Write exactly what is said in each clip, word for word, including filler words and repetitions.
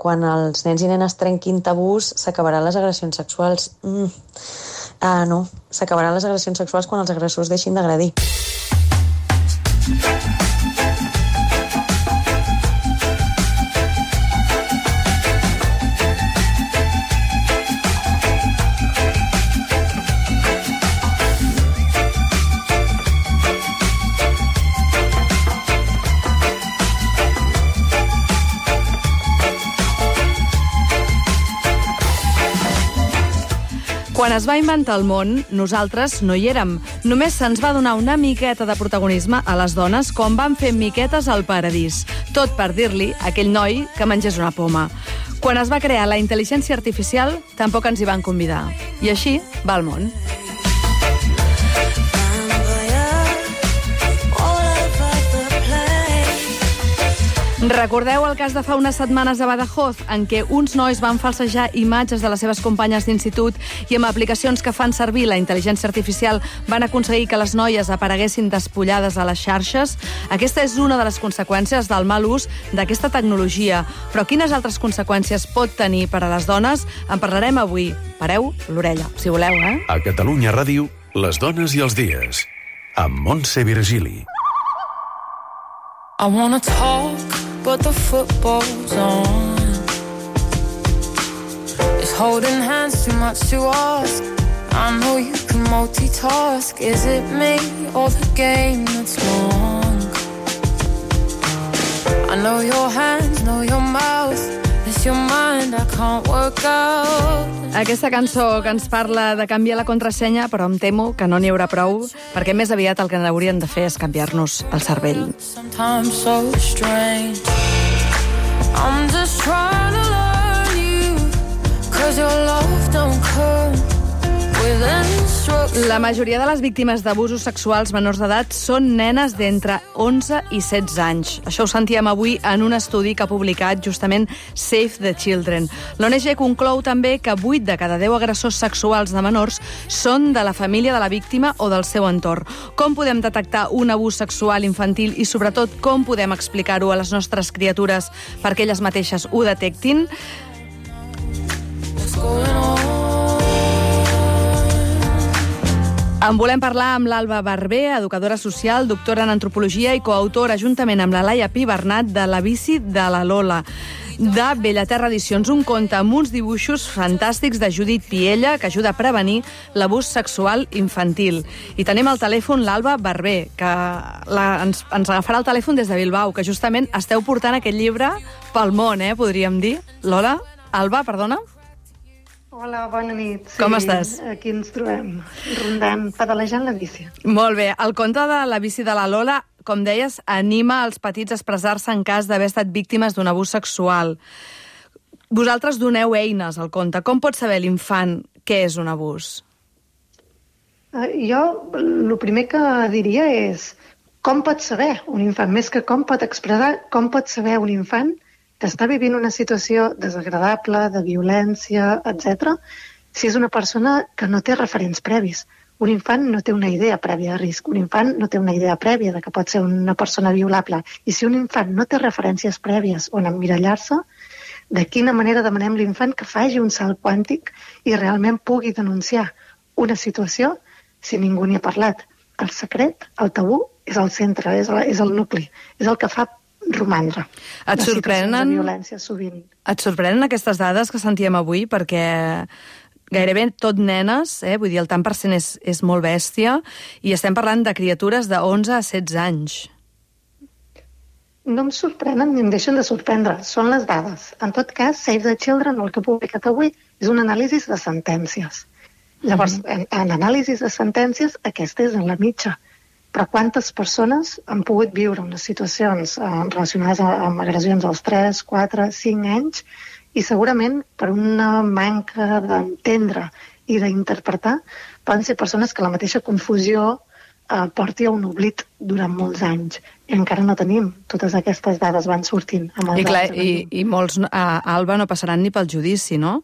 quan els nens i nenes trenquin tabús s'acabaran les agressions sexuals. Mm. Ah, no, s'acabaran les agressions sexuals quan els agressors deixin d'agredir. Quan es va inventar el món, nosaltres no hi érem. Només se'ns va donar una miqueta de protagonisme a les dones com van fer miquetes al paradís. Tot per dir-li a aquell noi que mengés una poma. Quan es va crear la intel·ligència artificial, tampoc ens hi van convidar. I així va el món. Recordeu el cas de fa unes setmanes a Badajoz, en què uns nois van falsejar imatges de les seves companyes d'institut i amb aplicacions que fan servir la intel·ligència artificial van aconseguir que les noies apareguessin despullades a les xarxes? Aquesta és una de les conseqüències del mal ús d'aquesta tecnologia. Però quines altres conseqüències pot tenir per a les dones? En parlarem avui. Pareu l'orella, si voleu, eh? A Catalunya Ràdio, les dones i els dies. Amb Montse Virgili. I wanna talk, but the football's on. Is holding hands too much to ask? I know you can multitask. Is it me or the game that's long? I know your hands, know your mouth. It's your mind, I can't work out. Aquesta cançó que ens parla de canviar la contrasenya, però em temo que no n'hi haurà prou, perquè més aviat el que haurien de fer és canviar-nos el cervell. Sometimes so strange. I'm just trying to learn you, 'cause your love don't come with instructions. La majoria de les víctimes d'abusos sexuals menors d'edat són nenes d'entre onze i setze anys. Això ho sentíem avui en un estudi que ha publicat justament Save the Children. L'O N G conclou també que vuit de cada deu agressors sexuals de menors són de la família de la víctima o del seu entorn. Com podem detectar un abús sexual infantil i, sobretot, com podem explicar-ho a les nostres criatures perquè elles mateixes ho detectin? What's going on? En volem parlar amb l'Alba Barber, educadora social, doctora en antropologia i coautora, juntament amb la Laia Pi Bernat, de La bici de la Lola, de Bellaterra Edicions, un conte amb uns dibuixos fantàstics de Judit Piella que ajuda a prevenir l'abús sexual infantil. I tenim al telèfon l'Alba Barber, que la, ens, ens agafarà el telèfon des de Bilbao, que justament esteu portant aquest llibre pel món, eh, podríem dir. Lola? Alba, perdona? Hola, bona nit. Sí, Com estàs? Aquí ens trobem, rondant, pedalejant la bici. Molt bé. El conte de La bici de la Lola, com deies, anima els petits a expressar-se en cas d'haver estat víctimes d'un abús sexual. Vosaltres doneu eines al conte. Com pot saber l'infant què és un abús? Uh, jo, el primer que diria és com pot saber un infant, més que com pot expressar, com pot saber un infant que està vivint una situació desagradable, de violència, etcètera, si és una persona que no té referents previs. Un infant no té una idea prèvia de risc, un infant no té una idea prèvia de que pot ser una persona violable. I si un infant no té referències prèvies on emmirallar-se, de quina manera demanem a l'infant que faci un salt quàntic i realment pugui denunciar una situació si ningú n'hi ha parlat? El secret, el tabú, és el centre, és el, és el nucli, és el que fa romandre. Et sorprenen, de violència sovint. Et sorprenen aquestes dades que sentíem avui? Perquè gairebé tot nenes, eh? Vull dir, el tant per cent és, és molt bèstia, i estem parlant de criatures de onze a setze anys. No em sorprenen ni em deixen de sorprendre. Són les dades. En tot cas, Save the Children, el que ha publicat avui, és un anàlisi de sentències. Llavors, mm-hmm. en, en anàlisis de sentències, aquesta és en la mitja. Però quantes persones han pogut viure unes situacions eh, relacionades amb agressions als tres, quatre, cinc anys i segurament per una manca d'entendre i d'interpretar poden ser persones que la mateixa confusió eh, porti a un oblit durant molts anys. I encara no tenim. Totes aquestes dades van sortint. Amb I, clar, i, i molts, a Alba, no passaran ni pel judici, no?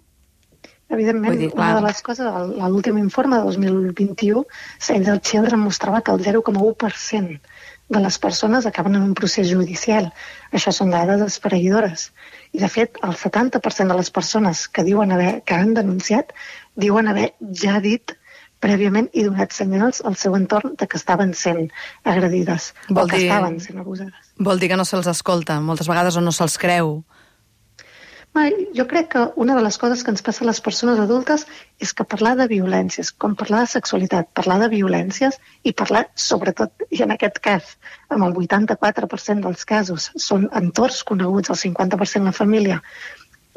Evidentment, dir, una de les coses, l'últim informe de dos mil vint-i-u, Save the Children mostrava que el zero coma u per cent de les persones acaben en un procés judicial. Això són dades esfereïdores. I, de fet, el setanta per cent de les persones que diuen haver, que han denunciat diuen haver ja dit prèviament i donat senyals al seu entorn de que estaven sent agredides Vol o que dir... estaven sent abusades. Vol dir que no se'ls escolta, moltes vegades, o no se'ls creu. Jo crec que una de les coses que ens passa a les persones adultes és que parlar de violències, com parlar de sexualitat, parlar de violències i parlar, sobretot, i en aquest cas, amb el vuitanta-quatre per cent dels casos, són entorns coneguts, el cinquanta per cent la família.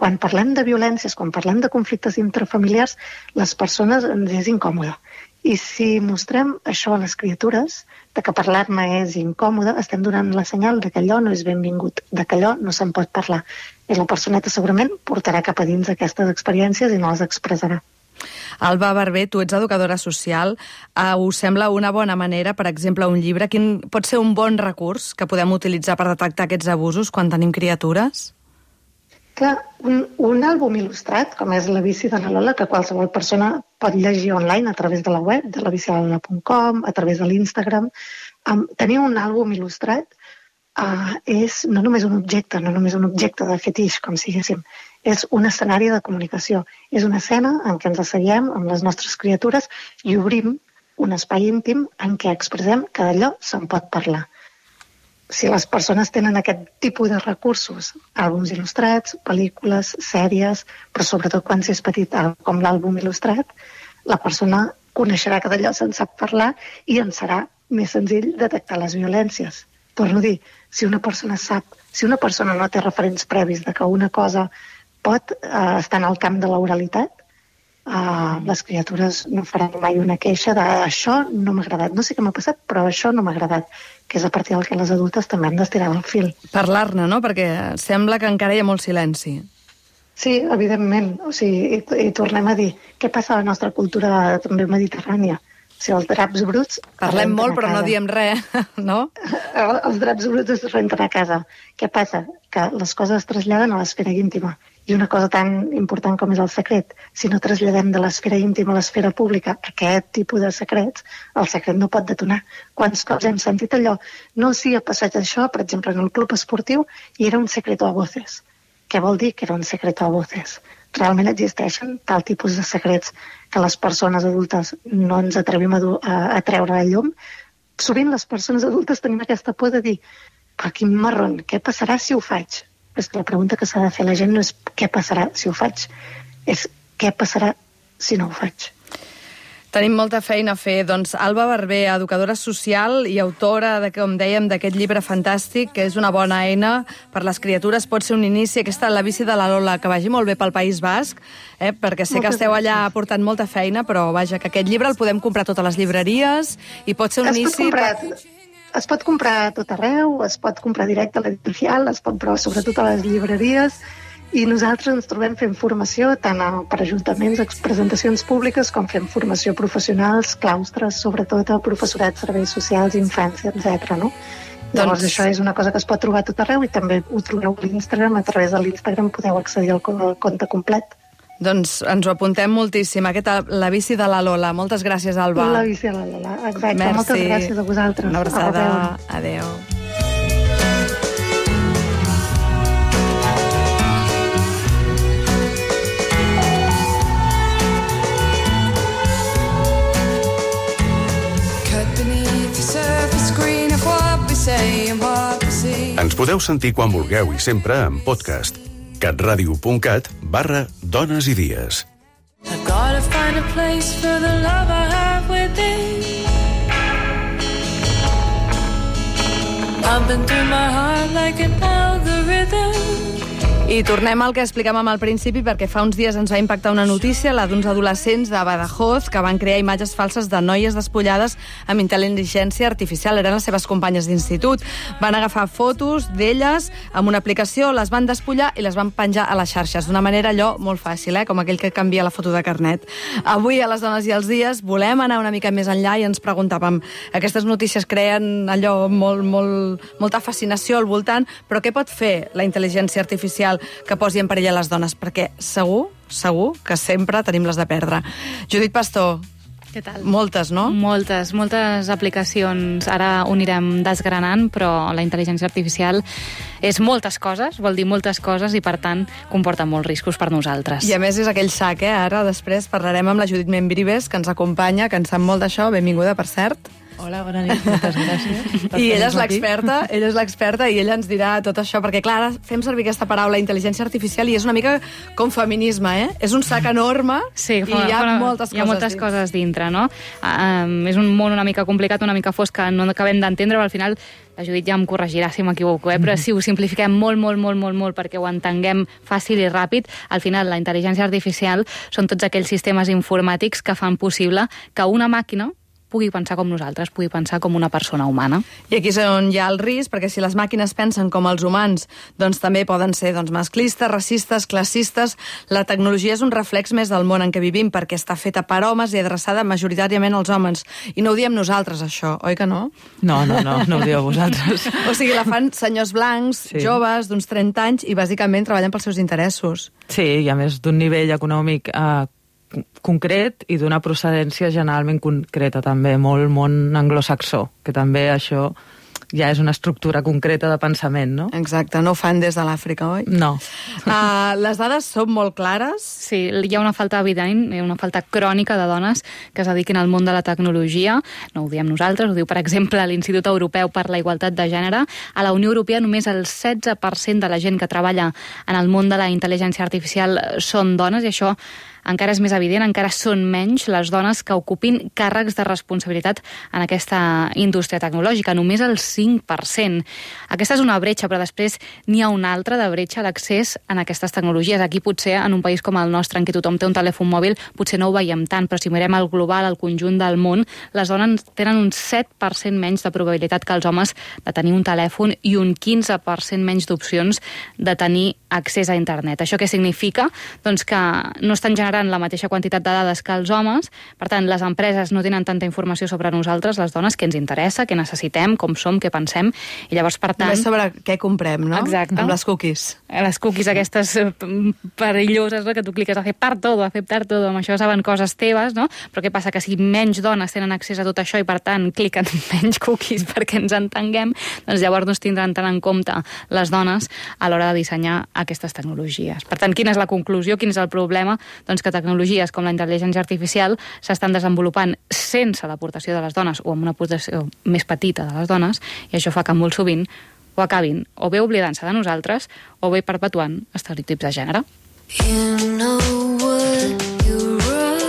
Quan parlem de violències, quan parlem de conflictes intrafamiliars, les persones ens és incòmode. I si mostrem això a les criatures, de que parlar-ne és incòmode, estem donant la senyal de que allò no és benvingut, de que allò no se'n pot parlar. I la personeta segurament portarà cap a dins aquestes experiències i no les expressarà. Alba Barber, tu ets educadora social. Uh, us sembla una bona manera, per exemple, un llibre? Quin pot ser un bon recurs que podem utilitzar per detectar aquests abusos quan tenim criatures? Clar, un, un àlbum il·lustrat, com és La bici de la Lola, que qualsevol persona pot llegir online a través de la web, de la bici de la lola punt com, a través de l'Instagram. Um, tenir un àlbum il·lustrat uh, és no només un objecte, no només un objecte de fetix, com si diguéssim, és un escenari de comunicació. És una escena en què ens asseiem amb les nostres criatures i obrim un espai íntim en què expressem que d'allò se'n pot parlar. Si les persones tenen aquest tipus de recursos, àlbums il·lustrats, pel·lícules, sèries, però sobretot quan s'és petit, com l'àlbum il·lustrat, la persona coneixerà que d'allò se'n sap parlar i en serà més senzill detectar les violències. Torno a dir, si una persona sap, si una persona no té referents previs de que una cosa pot eh, estar en el camp de l'oralitat, Uh, les criatures no faran mai una queixa de això no m'ha agradat, no sé què m'ha passat però això no m'ha agradat, que és a partir del que les adultes també hem d'estirar del fil. Parlar-ne, no? Perquè sembla que encara hi ha molt silenci. Sí, evidentment, o sigui, i, i tornem a dir què passa a la nostra cultura també mediterrània. O sigui, els draps bruts... Parlem molt però no diem res, no? Els draps bruts es renten a casa. Què passa? Que les coses es traslladen a l'esfera íntima. I una cosa tan important com és el secret, si no traslladem de l'esfera íntima a l'esfera pública aquest tipus de secrets, el secret no pot detonar. Quants cops hem sentit allò? No, sí, ha passat això, per exemple, en el club esportiu, i era un secreto a voces. Què vol dir que era un secreto a voces? Realment existeixen tal tipus de secrets que les persones adultes no ens atrevim a, a, a treure a llum. Sovint les persones adultes tenim aquesta por de dir però quin marron, què passarà si ho faig? És que la pregunta que s'ha de fer la gent no és què passarà si ho faig, és què passarà si no ho faig. Tenim molta feina a fer. Doncs Alba Barber, educadora social i autora, de, com dèiem, d'aquest llibre fantàstic, que és una bona eina per les criatures, pot ser un inici. Aquesta, La bici de la Lola, que vagi molt bé pel País Basc, eh, perquè sé que esteu allà portant molta feina, però vaja, que aquest llibre el podem comprar a totes les llibreries i pot ser un es inici... Pot comprar, es pot comprar a tot arreu, es pot comprar directe a l'editorial, es pot comprar sobretot a les llibreries, i nosaltres ens trobem fent formació tant per ajuntaments, presentacions públiques, com fem formació professionals, claustres, sobretot a professorat, serveis socials, infància, etcètera. No? Llavors, doncs... això és una cosa que es pot trobar a tot arreu i també ho trobeu a l'Instagram. A través de l'Instagram podeu accedir al compte complet. Doncs ens ho apuntem moltíssim. Aquesta, La bici de la Lola. Moltes gràcies, Alba. La bici de la Lola, exacte. Merci. Moltes gràcies a vosaltres. Una abraçada. Adéu. Ens podeu sentir quan vulgueu i sempre en podcast. catradio.cat barra dones i dies. I gotta find a place for the love I have within. Pumping through my heart like an algorithm. I tornem al que explicàvem al principi, perquè fa uns dies ens va impactar una notícia, la d'uns adolescents de Badajoz que van crear imatges falses de noies despullades amb intel·ligència artificial. Eren les seves companyes d'institut. Van agafar fotos d'elles amb una aplicació, les van despullar i les van penjar a les xarxes. D'una manera allò molt fàcil, eh? Com aquell que canvia la foto de carnet. Avui, a les Dones i els Dies, volem anar una mica més enllà i ens preguntàvem, aquestes notícies creen allò molt, molt, molta fascinació al voltant, però què pot fer la intel·ligència artificial que posi en perill a les dones, perquè segur, segur que sempre tenim les de perdre. Judit Pastor, Què tal? Moltes, no? Moltes, moltes aplicacions. Ara ho anirem desgranant, però la intel·ligència artificial és moltes coses, vol dir moltes coses, i per tant comporta molts riscos per nosaltres. I a més és aquell sac, eh? Ara després parlarem amb la Judit Membrives, que ens acompanya, que en sap molt d'això. Benvinguda, per cert. Hola, bona nit, moltes gràcies. I ella és l'experta, ella és l'experta i ella ens dirà tot això, perquè clar, ara fem servir aquesta paraula intel·ligència artificial i és una mica com feminisme, eh? És un sac enorme sí, i hi ha fa, moltes, hi ha coses, moltes dins. coses dintre, no? Um, és un món una mica complicat, una mica fosc, que no acabem d'entendre, però al final la Judit ja em corregirà si m'equivoco, eh? Però si ho simplifiquem molt, molt, molt, molt, molt perquè ho entenguem fàcil i ràpid, al final la intel·ligència artificial són tots aquells sistemes informàtics que fan possible que una màquina pugui pensar com nosaltres, pugui pensar com una persona humana. I aquí és on hi ha el risc, perquè si les màquines pensen com els humans, doncs també poden ser doncs, masclistes, racistes, classistes. La tecnologia és un reflex més del món en què vivim, perquè està feta per homes i adreçada majoritàriament als homes. I no ho diem nosaltres, això, oi que no? No, no, no, no ho dieu vosaltres. O sigui, la fan senyors blancs, sí. joves, d'uns trenta anys, i bàsicament treballen pels seus interessos. Sí, i a més d'un nivell econòmic eh, concret i d'una procedència generalment concreta també, molt món anglosaxó, que també això ja és una estructura concreta de pensament, no? Exacte, no ho fan des de l'Àfrica, oi? No. Uh, les dades són molt clares? Sí, hi ha una falta evident, hi ha una falta crònica de dones que es dediquin al món de la tecnologia. No ho diem nosaltres, ho diu, per exemple, l'Institut Europeu per la Igualtat de Gènere. A la Unió Europea només el setze per cent de la gent que treballa en el món de la intel·ligència artificial són dones, i això encara és més evident, encara són menys les dones que ocupin càrrecs de responsabilitat en aquesta indústria tecnològica, només el cinc per cent. Aquesta és una bretxa, però després n'hi ha una altra de bretxa d'accés en aquestes tecnologies. Aquí potser, en un país com el nostre, en què tothom té un telèfon mòbil, potser no ho veiem tant, però si mirem el global, el conjunt del món, les dones tenen un set per cent menys de probabilitat que els homes de tenir un telèfon i un quinze per cent menys d'opcions de tenir accés a internet. Això què significa? Doncs que no estan generant la mateixa quantitat de dades que els homes, per tant, les empreses no tenen tanta informació sobre nosaltres, les dones, què ens interessa, què necessitem, com som, què pensem, i llavors, per tant... Només sobre què comprem, no? Exacte. Amb les cookies. Les cookies aquestes perilloses, no? Que tu cliques a aceptar todo, aceptar todo, amb això saben coses teves, no? Però què passa? Que si menys dones tenen accés a tot això i, per tant, cliquen menys cookies perquè ens entenguem, doncs llavors no es tindran tant en compte les dones a l'hora de dissenyar aquestes tecnologies. Per tant, quina és la conclusió? Quin és el problema? Doncs que tecnologies com la intel·ligència artificial s'estan desenvolupant sense l'aportació de les dones o amb una aportació més petita de les dones, i això fa que molt sovint ho acabin o bé oblidant-se de nosaltres o bé perpetuant estereotips de gènere. You know what you write.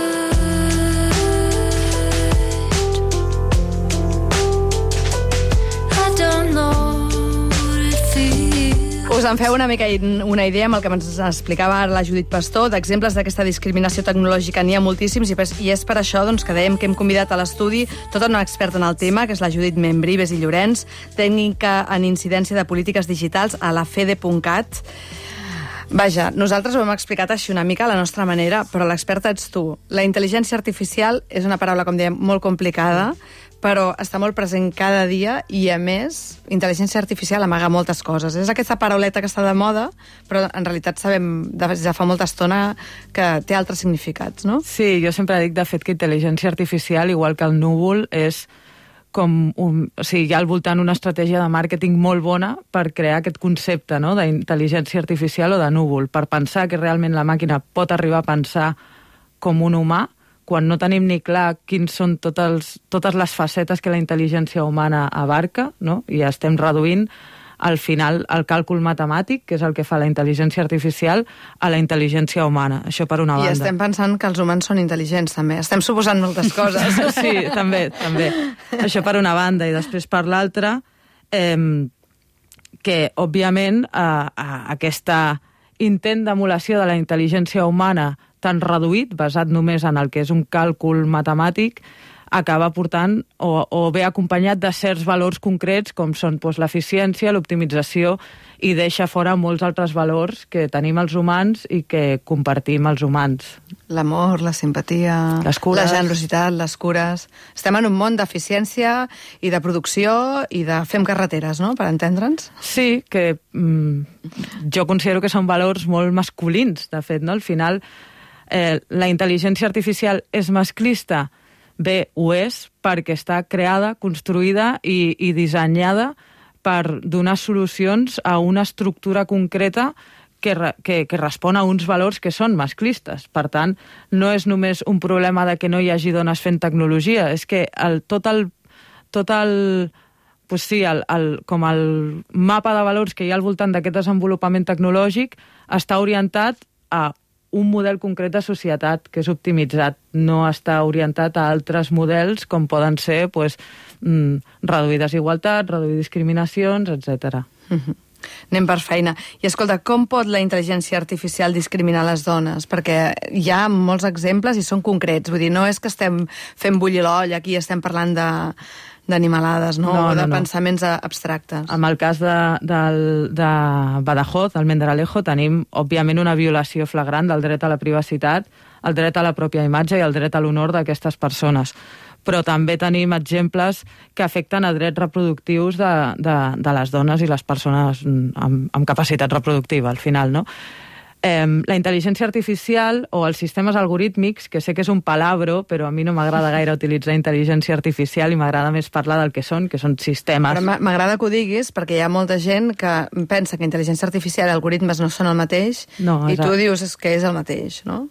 I don't know what it feels. Us en feu una mica una idea amb el que ens explicava ara la Judit Pastor, d'exemples d'aquesta discriminació tecnològica n'hi ha moltíssims, i és per això doncs, que dèiem que hem convidat a l'estudi tota una experta en el tema, que és la Judit Membrives i Llorenç, tècnica en incidència de polítiques digitals a la fede punt cat. Vaja, nosaltres ho hem explicat així una mica a la nostra manera, però l'experta ets tu. La intel·ligència artificial és una paraula, com dèiem, molt complicada, però està molt present cada dia i, a més, intel·ligència artificial amaga moltes coses. És aquesta parauleta que està de moda, però en realitat sabem des de fa molta estona que té altres significats, no? Sí, jo sempre dic, de fet, que intel·ligència artificial, igual que el núvol, és com un, o sigui, hi ha al voltant una estratègia de màrqueting molt bona per crear aquest concepte, no?, d'intel·ligència artificial o de núvol, per pensar que realment la màquina pot arribar a pensar com un humà, quan no tenim ni clar quins són tots els, totes les facetes que la intel·ligència humana abarca, no?, i estem reduint al final el càlcul matemàtic, que és el que fa la intel·ligència artificial, a la intel·ligència humana. Això per una banda. I estem pensant que els humans són intel·ligents, també. Estem suposant moltes coses. Sí, també, també. Això per una banda. I després per l'altra, eh, que, òbviament, eh, eh, aquesta intent d'emulació de la intel·ligència humana tan reduït, basat només en el que és un càlcul matemàtic, acaba portant o, o bé acompanyat de certs valors concrets com són doncs, l'eficiència, l'optimització, i deixa fora molts altres valors que tenim els humans i que compartim els humans. L'amor, la simpatia, les cures, la generositat, les cures. Estem en un món d'eficiència i de producció i de fem carreteres, no?, per entendre'ns. Sí, que mm, jo considero que són valors molt masculins, de fet, no? Al final, eh, la intel·ligència artificial és masclista. Bé, ho és perquè està creada, construïda i, i dissenyada per donar solucions a una estructura concreta que, que, que respon a uns valors que són masclistes. Per tant, no és només un problema de que no hi hagi dones fent tecnologia, és que el, tot el... Tot el pues sí, el, el, com el mapa de valors que hi ha al voltant d'aquest desenvolupament tecnològic està orientat a un model concret de societat que és optimitzat, no està orientat a altres models com poden ser pues, mm, reduir desigualtat, reduir discriminacions, etcètera. Mm-hmm. Anem per feina. I escolta, com pot la intel·ligència artificial discriminar les dones? Perquè hi ha molts exemples i són concrets. Vull dir, no és que estem fent bullir l'olla, aquí estem parlant de d'animalades, no? No, o de no, no. pensaments abstractes. En el cas de, de, de Badajoz, d'Almendralejo, tenim, òbviament, una violació flagrant del dret a la privacitat, el dret a la pròpia imatge i el dret a l'honor d'aquestes persones. Però també tenim exemples que afecten a drets reproductius de, de, de les dones i les persones amb, amb capacitat reproductiva, al final, no? Eh, la intel·ligència artificial o els sistemes algorítmics, que sé que és un palabro, però a mi no m'agrada gaire utilitzar intel·ligència artificial i m'agrada més parlar del que són, que són sistemes. Però m'agrada que ho diguis, perquè hi ha molta gent que pensa que intel·ligència artificial i algoritmes no són el mateix, no, i tu dius que és el mateix, no?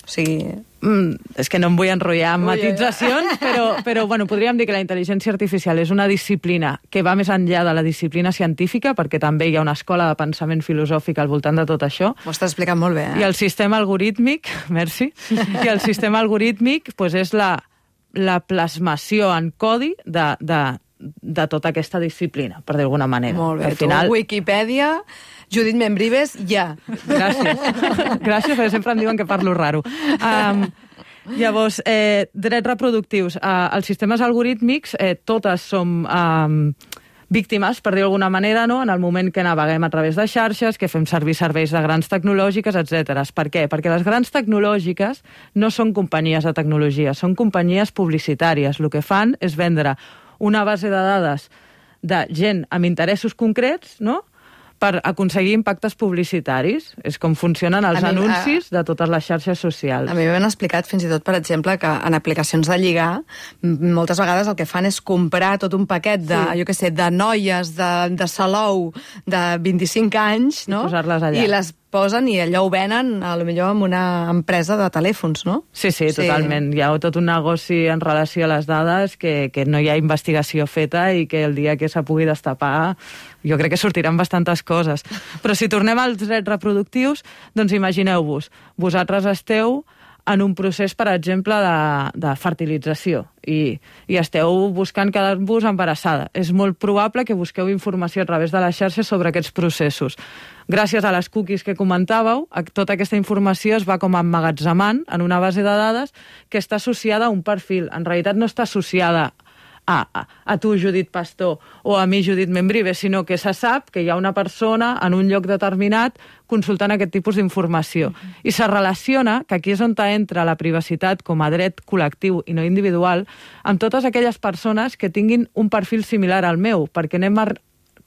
O sigui... Mm, és que no em vull enrotllar amb matitzacions, però, però bueno, podríem dir que la intel·ligència artificial és una disciplina que va més enllà de la disciplina científica, perquè també hi ha una escola de pensament filosòfic al voltant de tot això. Ho estàs explicant molt bé, eh? I el sistema algorítmic, merci, i el sistema algorítmic pues, és la, la plasmació en codi de, de, de tota aquesta disciplina, per dir d'alguna manera. Molt bé, al final... tu, Wikipedia... Judit Membrives, ja. Gràcies. Gràcies, perquè sempre em diuen que parlo raro. Um, llavors, eh, drets reproductius. Uh, els sistemes algorítmics, eh, totes som um, víctimes, per dir d'alguna manera, no? En el moment que naveguem a través de xarxes, que fem servir serveis de grans tecnològiques, etcètera. Per què? Perquè les grans tecnològiques no són companyies de tecnologia, són companyies publicitàries. El que fan és vendre una base de dades de gent amb interessos concrets, no?, per aconseguir impactes publicitaris. És com funcionen els mi, anuncis a... de totes les xarxes socials. A mi m'han explicat fins i tot, per exemple, que en aplicacions de lligar, moltes vegades el que fan és comprar tot un paquet de, sí. jo què sé, de noies de, de Salou de vint-i-cinc anys, no? I posar-les allà. I les posen i allò ho venen, a lo millor amb una empresa de telèfons, no? Sí, sí, sí, totalment. Hi ha tot un negoci en relació a les dades que, que no hi ha investigació feta i que el dia que se pugui destapar jo crec que sortiran bastantes coses. Però si tornem als drets reproductius, doncs imagineu-vos, vosaltres esteu en un procés, per exemple, de, de fertilització i, i esteu buscant quedar-vos embarassada. És molt probable que busqueu informació a través de les xarxes sobre aquests processos. Gràcies a les cookies que comentàveu, tota aquesta informació es va com emmagatzemant en una base de dades que està associada a un perfil. En realitat no està associada a, a, a tu, Judit Pastor, o a mi, Judit Membrives, sinó que se sap que hi ha una persona en un lloc determinat consultant aquest tipus d'informació. Mm-hmm. I se relaciona, que aquí és on entra la privacitat com a dret col·lectiu i no individual, amb totes aquelles persones que tinguin un perfil similar al meu, perquè anem a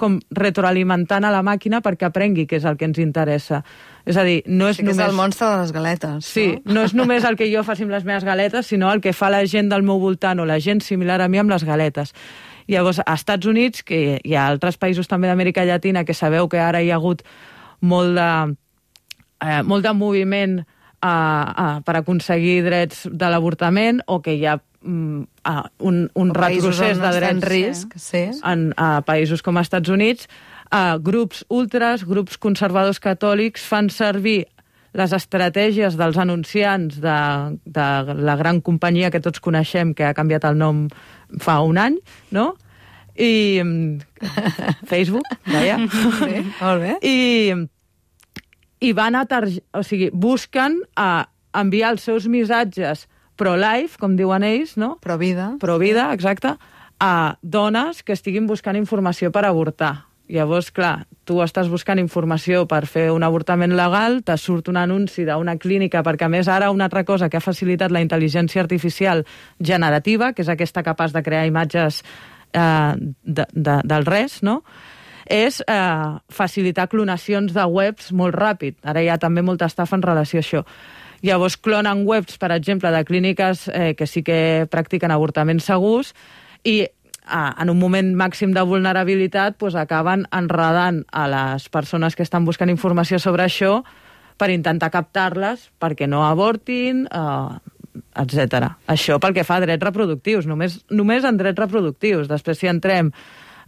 com retroalimentant a la màquina perquè aprengui què és el que ens interessa. És a dir, no és sí, només... és el monstre de les galetes. Sí, no? no és només el que jo faci amb les meves galetes, sinó el que fa la gent del meu voltant o la gent similar a mi amb les galetes. Llavors, a Estats Units, que hi ha altres països també d'Amèrica Llatina, que sabeu que ara hi ha hagut molt de, eh, molt de moviment eh, eh, per aconseguir drets de l'avortament, o que hi ha mm, eh, un, un retrocés de drets risc, sí. en a països com els Estats Units. Uh, grups ultras, grups conservadors catòlics fan servir les estratègies dels anunciants de, de la gran companyia que tots coneixem, que ha canviat el nom fa un any, no? I Facebook, deia. Sí, molt bé. I, i van a targe... o sigui, busquen a enviar els seus missatges pro-life, com diuen ells, no? Pro-vida. Pro-vida, exacte, a dones que estiguin buscant informació per avortar. Llavors, clar, tu estàs buscant informació per fer un avortament legal, te surt un anunci d'una clínica, perquè a més ara una altra cosa que ha facilitat la intel·ligència artificial generativa, que és aquesta capaç de crear imatges eh, de, de, del res, no?, és eh, facilitar clonacions de webs molt ràpid. Ara hi ha també molta estafa en relació a això. Llavors clonen webs, per exemple, de clíniques eh, que sí que practiquen avortaments segurs i ah, en un moment màxim de vulnerabilitat pues, acaben enredant a les persones que estan buscant informació sobre això per intentar captar-les perquè no avortin, eh, etcètera. Això pel que fa a drets reproductius, només, només en drets reproductius. Després, si entrem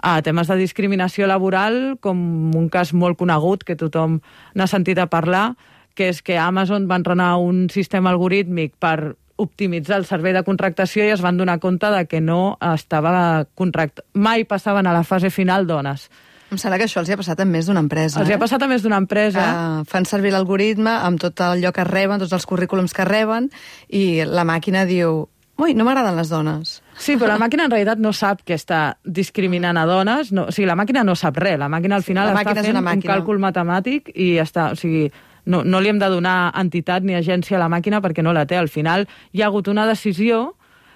a temes de discriminació laboral, com un cas molt conegut que tothom n'ha sentit a parlar, que és que Amazon va entrenar un sistema algorítmic per optimitzar el servei de contractació i es van donar compte de que no estava contractat. Mai passaven a la fase final dones. Em sembla que això els hi ha passat a més d'una empresa. Els hi ha passat a més d'una empresa. Que fan servir l'algoritme amb tot allò que reben, tots els currículums que reben, i la màquina diu, ui, no m'agraden les dones. Sí, però la màquina en realitat no sap que està discriminant a dones. No, o sigui, la màquina no sap res. La màquina al final la està fent un càlcul matemàtic i està... O sigui, no, no li hem de donar entitat ni agència a la màquina perquè no la té. Al final hi ha hagut una decisió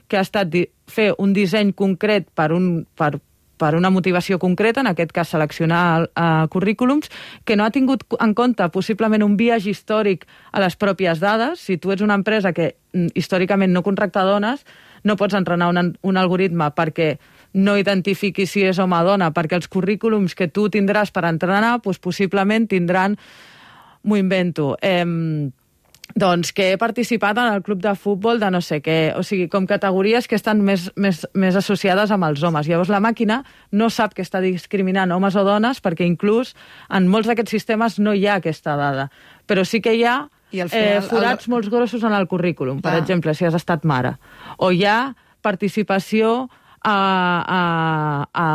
que ha estat fer un disseny concret per un... Per, per una motivació concreta, en aquest cas seleccionar uh, currículums, que no ha tingut en compte possiblement un biaix històric a les pròpies dades. Si tu ets una empresa que mm, històricament no contracta dones, no pots entrenar un, un algoritme perquè no identifiqui si és home o dona, perquè els currículums que tu tindràs per entrenar, doncs possiblement tindran... M'ho invento... Eh, Doncs que he participat en el club de futbol de no sé què, o sigui, com categories que estan més, més, més associades amb els homes. Llavors la màquina no sap que està discriminant homes o dones perquè inclús en molts d'aquests sistemes no hi ha aquesta dada. Però sí que hi ha I al final, eh, forats el... molts grossos en el currículum, per ah. exemple, si has estat mare. O hi ha participació a... a, a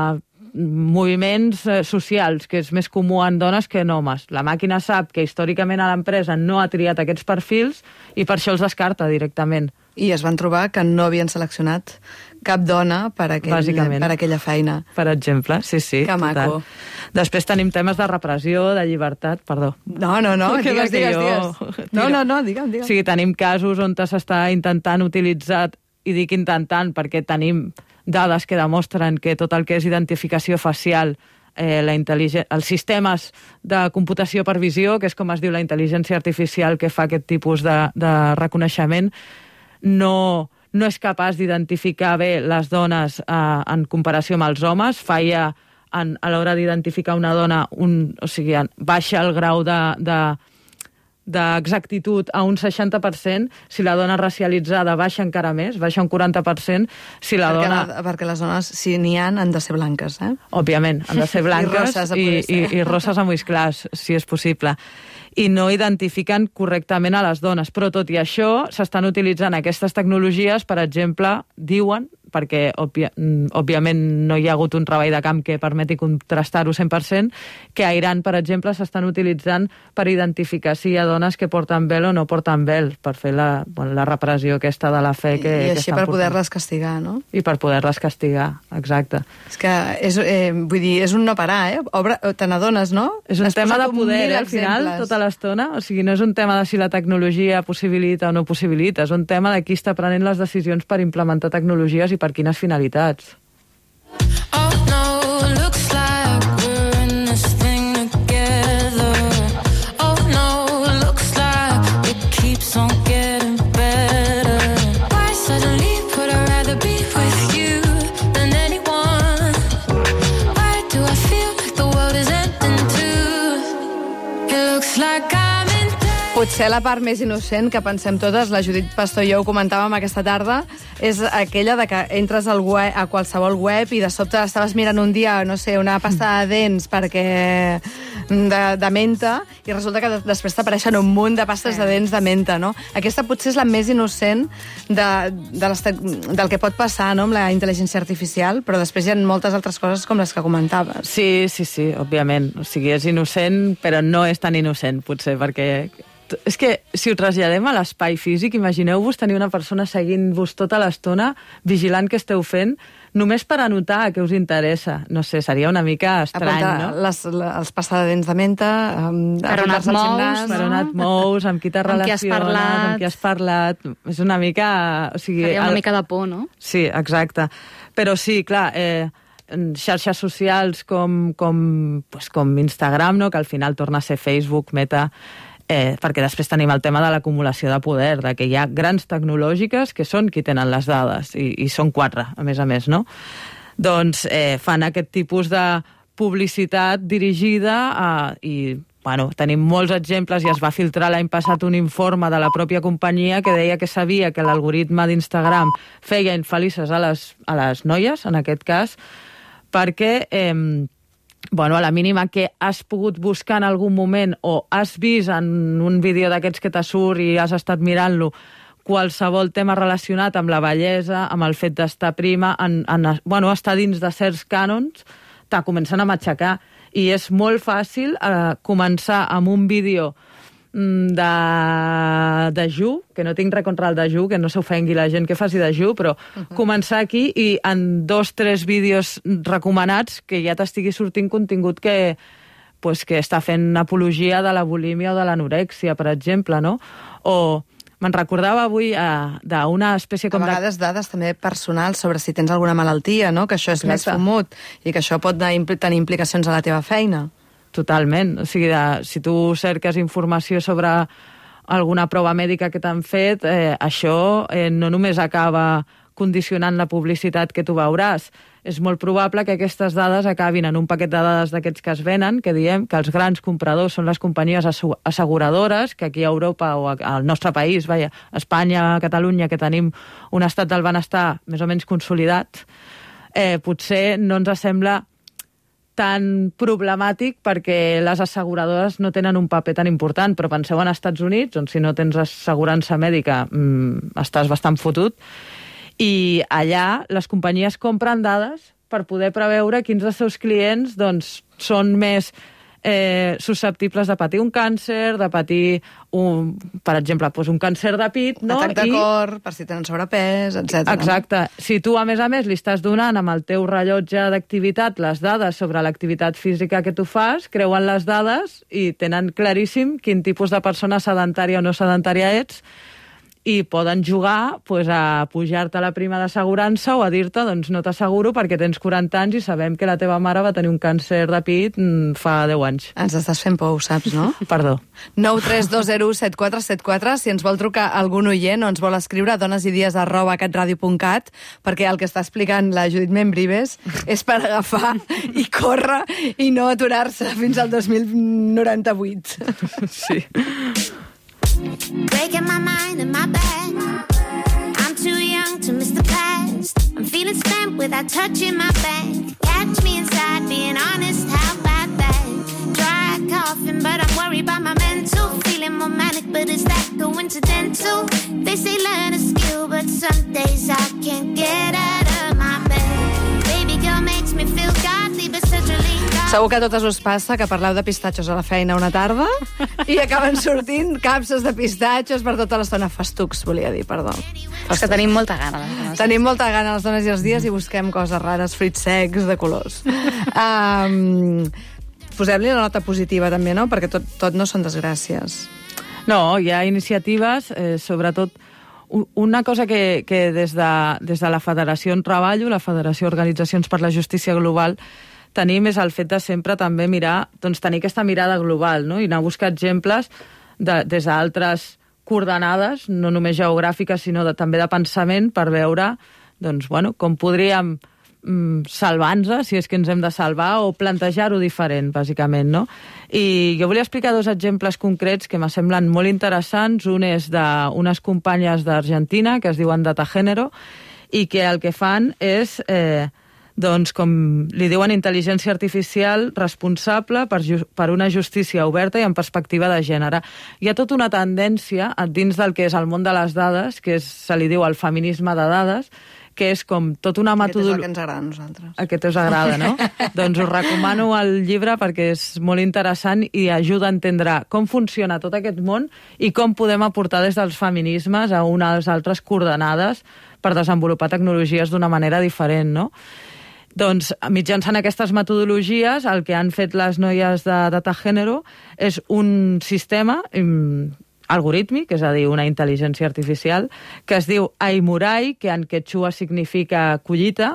moviments socials, que és més comú en dones que en homes. La màquina sap que històricament a l'empresa no ha triat aquests perfils i per això els descarta directament. I es van trobar que no havien seleccionat cap dona per, aquell, per aquella feina. Per exemple, sí, sí. Que maco. Total. Després tenim temes de repressió, de llibertat, perdó. No, no, no, digues, digues, digues. No, no, no, digue'm, digue'm. O sigui, tenim casos on s'està intentant utilitzar, i dic intentant perquè tenim dades que demostren que tot el que és identificació facial, eh, la els sistemes de computació per visió, que és com es diu la intel·ligència artificial que fa aquest tipus de, de reconeixement, no, no és capaç d'identificar bé les dones eh, en comparació amb els homes. Falla en, a l'hora d'identificar una dona, un, o sigui, baixa el grau de... de d'exactitud a un seixanta per cent, si la dona racialitzada baixa encara més, baixa un quaranta per cent, si la perquè, dona... La, perquè les dones, si n'hi ha, han de ser blanques, eh? Òbviament, han de ser blanques i, i, i, i rosses amb ulls clars, si és possible. I no identifiquen correctament a les dones. Però tot i això, s'estan utilitzant aquestes tecnologies, per exemple, diuen, perquè òbvia, òbviament no hi ha hagut un treball de camp que permeti contrastar-ho cent per cent, que a Iran, per exemple, s'estan utilitzant per identificar si hi ha dones que porten vel o no porten vel, per fer la, bueno, la repressió aquesta de la fe que, I que així per poder-les castigar, no? I per poder-les castigar, exacte. És que, és, eh, vull dir, és un no parar, eh? Obre, te n'adones, no? És un Has tema de poder, eh, al final, exemples. tota l'estona. O sigui, no és un tema de si la tecnologia possibilita o no possibilita, és un tema de qui està prenent les decisions per implementar tecnologies i per quines finalitats. Oh no, looks like we're in this thing together. Oh no, looks like it keeps on getting better. Why suddenly would I rather be with you than anyone? Why do I feel like the world is ending too? It looks like I'm in Potser la part més innocent que pensem totes, la Judit Pastor i jo ho comentàvem aquesta tarda, és aquella de que entres al web, a qualsevol web i de sobte estaves mirant un dia, no sé, una pasta de dents perquè de, de menta i resulta que després t'apareixen un munt de pastes sí. de dents de menta, no? Aquesta potser és la més innocent de, de les, del que pot passar, no?, amb la intel·ligència artificial, però després hi ha moltes altres coses com les que comentaves. Sí, sí, sí, òbviament. O sigui, és innocent, però no és tan innocent, potser, perquè... És que, si ho traslladem a l'espai físic, imagineu-vos tenir una persona seguint-vos tota l'estona, vigilant què esteu fent, només per anotar què us interessa. No sé, seria una mica estrany, apuntar no? Les, les passes de dents de menta, amb, per on et mous, per on et mous, amb qui t'has relacionat, amb qui has parlat... És una mica... O sigui, seria una el... mica de por, no? Sí, exacte. Però sí, clar... Eh, xarxes socials com, com, pues, com Instagram, no?, que al final torna a ser Facebook, Meta... Eh, perquè després tenim el tema de l'acumulació de poder, de que hi ha grans tecnològiques que són qui tenen les dades, i, i són quatre, a més a més, no? Doncs eh, fan aquest tipus de publicitat dirigida a, i bueno, tenim molts exemples, i es va filtrar l'any passat un informe de la pròpia companyia que deia que sabia que l'algoritme d'Instagram feia infelices a les, a les noies, en aquest cas, perquè eh, bueno, a la mínima que has pogut buscar en algun moment o has vist en un vídeo d'aquests que te surt i has estat mirant-lo qualsevol tema relacionat amb la bellesa, amb el fet d'estar prima, en, en, bueno, estar dins de certs cànons, te comencen a matxacar. I és molt fàcil eh, començar amb un vídeo de dejú, que no tinc res contra el dejú, que no s'ofengui la gent que faci dejú, però uh-huh. començar aquí i en dos, tres vídeos recomanats que ja t'estigui sortint contingut que, pues, que està fent apologia de la bulímia o de l'anorèxia, per exemple, no? O me'n recordava avui eh, d'una espècie com... A vegades de... dades també personals sobre si tens alguna malaltia, no? Que això és Exacte. Més fumut i que això pot tenir implicacions a la teva feina. Totalment. O sigui, de, si tu cerques informació sobre alguna prova mèdica que t'han fet, eh, això eh, no només acaba condicionant la publicitat que tu veuràs. És molt probable que aquestes dades acabin en un paquet de dades d'aquests que es venen, que diem que els grans compradors són les companyies asseguradores, que aquí a Europa o al nostre país, vaja, a Espanya, a Catalunya, que tenim un estat del benestar més o menys consolidat, eh, potser no ens sembla tan problemàtic perquè les asseguradores no tenen un paper tan important, però penseu en Estats Units, on si no tens assegurança mèdica mmm, estàs bastant fotut, i allà les companyies compren dades per poder preveure quins dels seus clients doncs, són més eh, susceptibles de patir un càncer, de patir, un, per exemple, doncs un càncer de pit, no? Atac de I... cor, per si tenen sobrepès, etcètera. Exacte. Si tu, a més a més, li estàs donant amb el teu rellotge d'activitat les dades sobre l'activitat física que tu fas, creuen les dades i tenen claríssim quin tipus de persona sedentària o no sedentària ets, i poden jugar pues, a pujar-te la prima d'assegurança o a dir-te doncs no t'asseguro perquè tens quaranta anys i sabem que la teva mare va tenir un càncer de pit fa deu anys. Ens estàs fent por, ho saps, no? Perdó. nou tres dos zero set quatre set quatre, si ens vol trucar algun oient o ens vol escriure donesidies arroba catradio punt cat, perquè el que està explicant la Judit Membrives és per agafar i córrer i no aturar-se fins al dos mil noranta-vuit. Sí. Breaking my mind in my bed. I'm too young to miss the past. I'm feeling spent without touching my bank. Catch me inside, being honest, how about that? Dry coughing, but I'm worried about my mental. Feeling more manic, but is that coincidental? They say learn a skill, but some days I can't get out of my bed. Baby girl makes me feel godly, but such a lean guy. Segur que a totes us passa que parleu de pistatxos a la feina una tarda i acaben sortint capses de pistatxos per tota l'estona. Festucs, volia dir, perdó. És que tenim molta gana. Tenim molta gana les dones i els dies i busquem coses rares, fruits secs, de colors. Um, Posem-li la nota positiva també, no? Perquè tot, tot no són desgràcies. No, hi ha iniciatives, eh, sobretot una cosa que, que des, de, des de la Federació on treballo, la Federació Organitzacions per la Justícia Global, tenim és el fet de sempre també mirar, doncs tenir aquesta mirada global, no? I anar a buscar exemples de, des d'altres coordenades, no només geogràfiques, sinó de, també de pensament, per veure doncs, bueno, com podríem mm, salvar-nos, si és que ens hem de salvar, o plantejar-ho diferent, bàsicament, no? I jo volia explicar dos exemples concrets que me semblen molt interessants. Un és d'unes companyes d'Argentina, que es diuen Data Género, i que el que fan és... Eh, doncs, com li diuen, intel·ligència artificial responsable per, per una justícia oberta i en perspectiva de gènere. Hi ha tota una tendència dins del que és el món de les dades, que és, se li diu el feminisme de dades, que és com tota una metodologia... Aquest és el que ens agrada a nosaltres. Aquest us agrada, no? Doncs us recomano el llibre perquè és molt interessant i ajuda a entendre com funciona tot aquest món i com podem aportar des dels feminismes a unes altres coordenades per desenvolupar tecnologies d'una manera diferent, no? Doncs, mitjançant aquestes metodologies, el que han fet les noies de Data Género és un sistema um, algorítmic, és a dir, una intel·ligència artificial, que es diu Aimurai, que en quechua significa collita,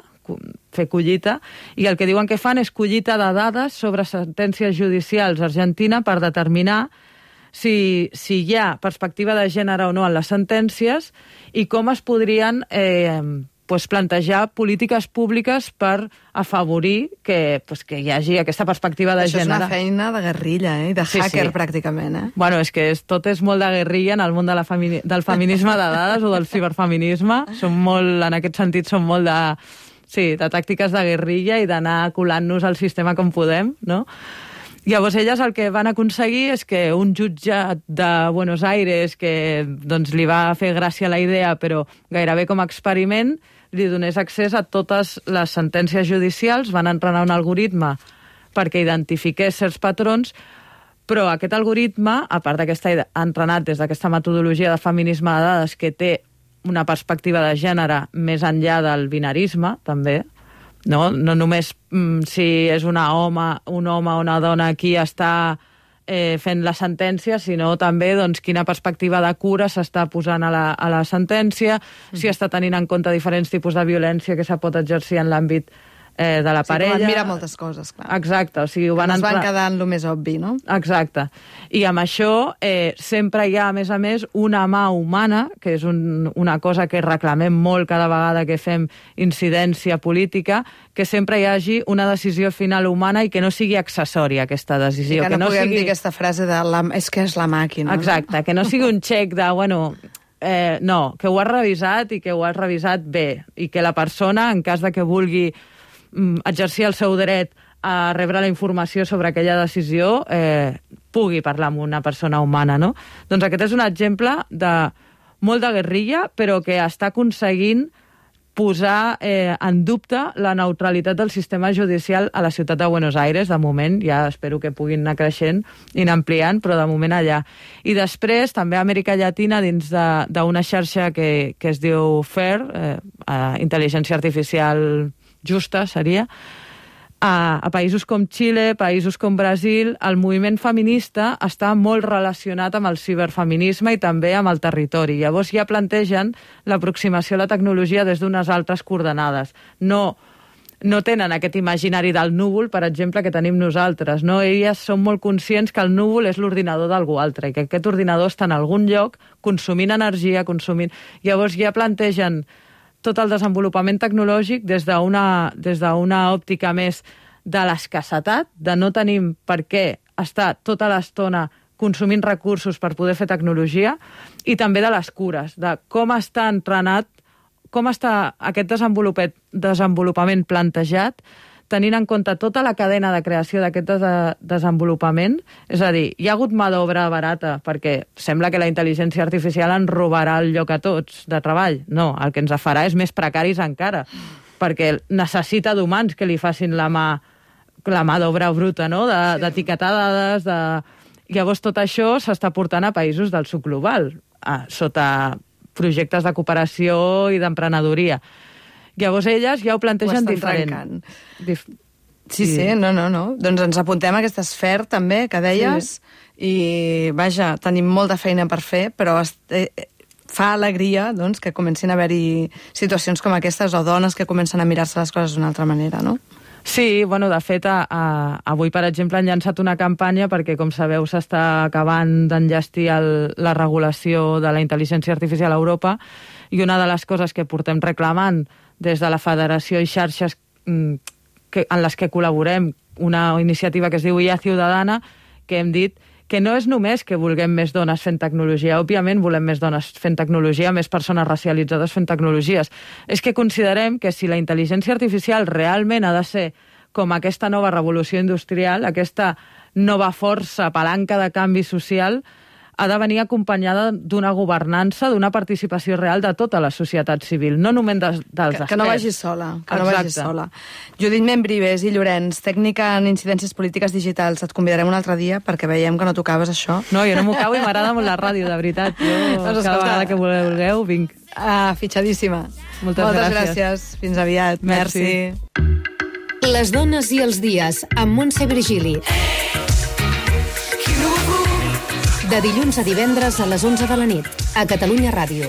fer collita, i el que diuen que fan és collita de dades sobre sentències judicials a Argentina per determinar si, si hi ha perspectiva de gènere o no en les sentències i com es podrien eh, pues, plantejar polítiques públiques per afavorir que, pues, que hi hagi aquesta perspectiva de Això gènere. és una feina de guerrilla, eh? De Sí, hacker, sí. pràcticament, eh? Bueno, és que és, tot és molt de guerrilla en el món de la femini del feminisme de dades o del ciberfeminisme. Som molt, en aquest sentit, som molt de, sí, de tàctiques de guerrilla i d'anar colant-nos al sistema com podem, no? Llavors, elles el que van aconseguir és que un jutjat de Buenos Aires, que doncs, li va fer gràcia la idea, però gairebé com a experiment, li donés accés a totes les sentències judicials, van entrenar un algoritme perquè identifiqués certs patrons, però aquest algoritme, a part d'aquesta entrenat des d'aquesta metodologia de feminisme de dades que té una perspectiva de gènere més enllà del binarisme, també, no, no només mm, si és una home, un home o una dona qui està eh, fent la sentència, sinó també doncs, quina perspectiva de cura s'està posant a la, a la sentència, mm. si està tenint en compte diferents tipus de violència que se pot exercir en l'àmbit eh, de la sí, parella. Sí, van mirar moltes coses, clar. Exacte. O sigui, ho van es van entrar... quedar en el més obvi, no? Exacte. I amb això eh, sempre hi ha, a més a més, una mà humana, que és un, una cosa que reclamem molt cada vegada que fem incidència política, que sempre hi hagi una decisió final humana i que no sigui accessòria aquesta decisió. I que no, que no puguem sigui... dir aquesta frase de la... és que és la màquina. Exacte, que no sigui un xec de, bueno... Eh, no, que ho has revisat i que ho has revisat bé i que la persona, en cas de que vulgui exercir el seu dret a rebre la informació sobre aquella decisió, eh, pugui parlar amb una persona humana, no? Doncs aquest és un exemple de molt de guerrilla, però que està aconseguint posar eh, en dubte la neutralitat del sistema judicial a la ciutat de Buenos Aires. De moment, ja espero que puguin anar creixent i anar ampliant, però de moment allà. I després, també a Amèrica Llatina, dins d'una xarxa que, que es diu FAIR, eh, Intel·ligència Artificial Justa, seria, a, a països com Xile, països com Brasil, el moviment feminista està molt relacionat amb el ciberfeminisme i també amb el territori. Llavors ja plantegen l'aproximació a la tecnologia des d'unes altres coordenades. No, no tenen aquest imaginari del núvol, per exemple, que tenim nosaltres. No? Elles són molt conscients que el núvol és l'ordinador d'algú altre i que aquest ordinador està en algun lloc consumint energia, consumint... Llavors ja plantegen tot el desenvolupament tecnològic des d'una des d'una òptica més de l'escassetat, de no tenim per què estar tota l'estona consumint recursos per poder fer tecnologia, i també de les cures, de com està entrenat, com està aquest desenvolupament plantejat, tenint en compte tota la cadena de creació d'aquest de desenvolupament. És a dir, hi ha hagut mà d'obra barata, perquè sembla que la intel·ligència artificial ens robarà el lloc a tots de treball. No, el que ens farà és més precaris encara, perquè necessita d'humans que li facin la mà, la mà d'obra bruta, no? D'etiquetar de, dades, de... Llavors tot això s'està portant a països del sud global, a, sota projectes de cooperació i d'emprenedoria. Llavors elles ja ho plantegen ho diferent. Dif... Sí, sí, no, no, no. Doncs ens apuntem a aquesta esfera també, que deies, sí. I vaja, tenim molta feina per fer, però eh, fa alegria doncs, que comencin a haver-hi situacions com aquestes o dones que comencen a mirar-se les coses d'una altra manera, no? Sí, bueno, de fet, a, a, avui, per exemple, han llançat una campanya perquè, com sabeu, s'està acabant d'enllestir la regulació de la intel·ligència artificial a Europa, i una de les coses que portem reclamant des de la Federació i xarxes que, en les que col·laborem, una iniciativa que es diu I A Ciudadana, que hem dit que no és només que vulguem més dones fent tecnologia, òbviament volem més dones fent tecnologia, més persones racialitzades fent tecnologies. És que considerem que si la intel·ligència artificial realment ha de ser com aquesta nova revolució industrial, aquesta nova força, palanca de canvi social, ha de venir acompanyada d'una governança, d'una participació real de tota la societat civil, no només dels experts. Que, que no vagi sola, que no vagi sola. Judit Membrives i Llorenç, tècnica en incidències polítiques digitals, et convidarem un altre dia perquè veiem que no tocaves això. No, jo no m'ho cau i m'agrada molt la ràdio, de veritat. Jo, doncs cada vegada que vulgueu, vinc. Ah, fitxadíssima. Moltes, Moltes gràcies. gràcies. Fins aviat. Merci. Merci. Les dones i els dies, amb Montse Virgili. De dilluns a divendres a les onze de la nit, a Catalunya Ràdio.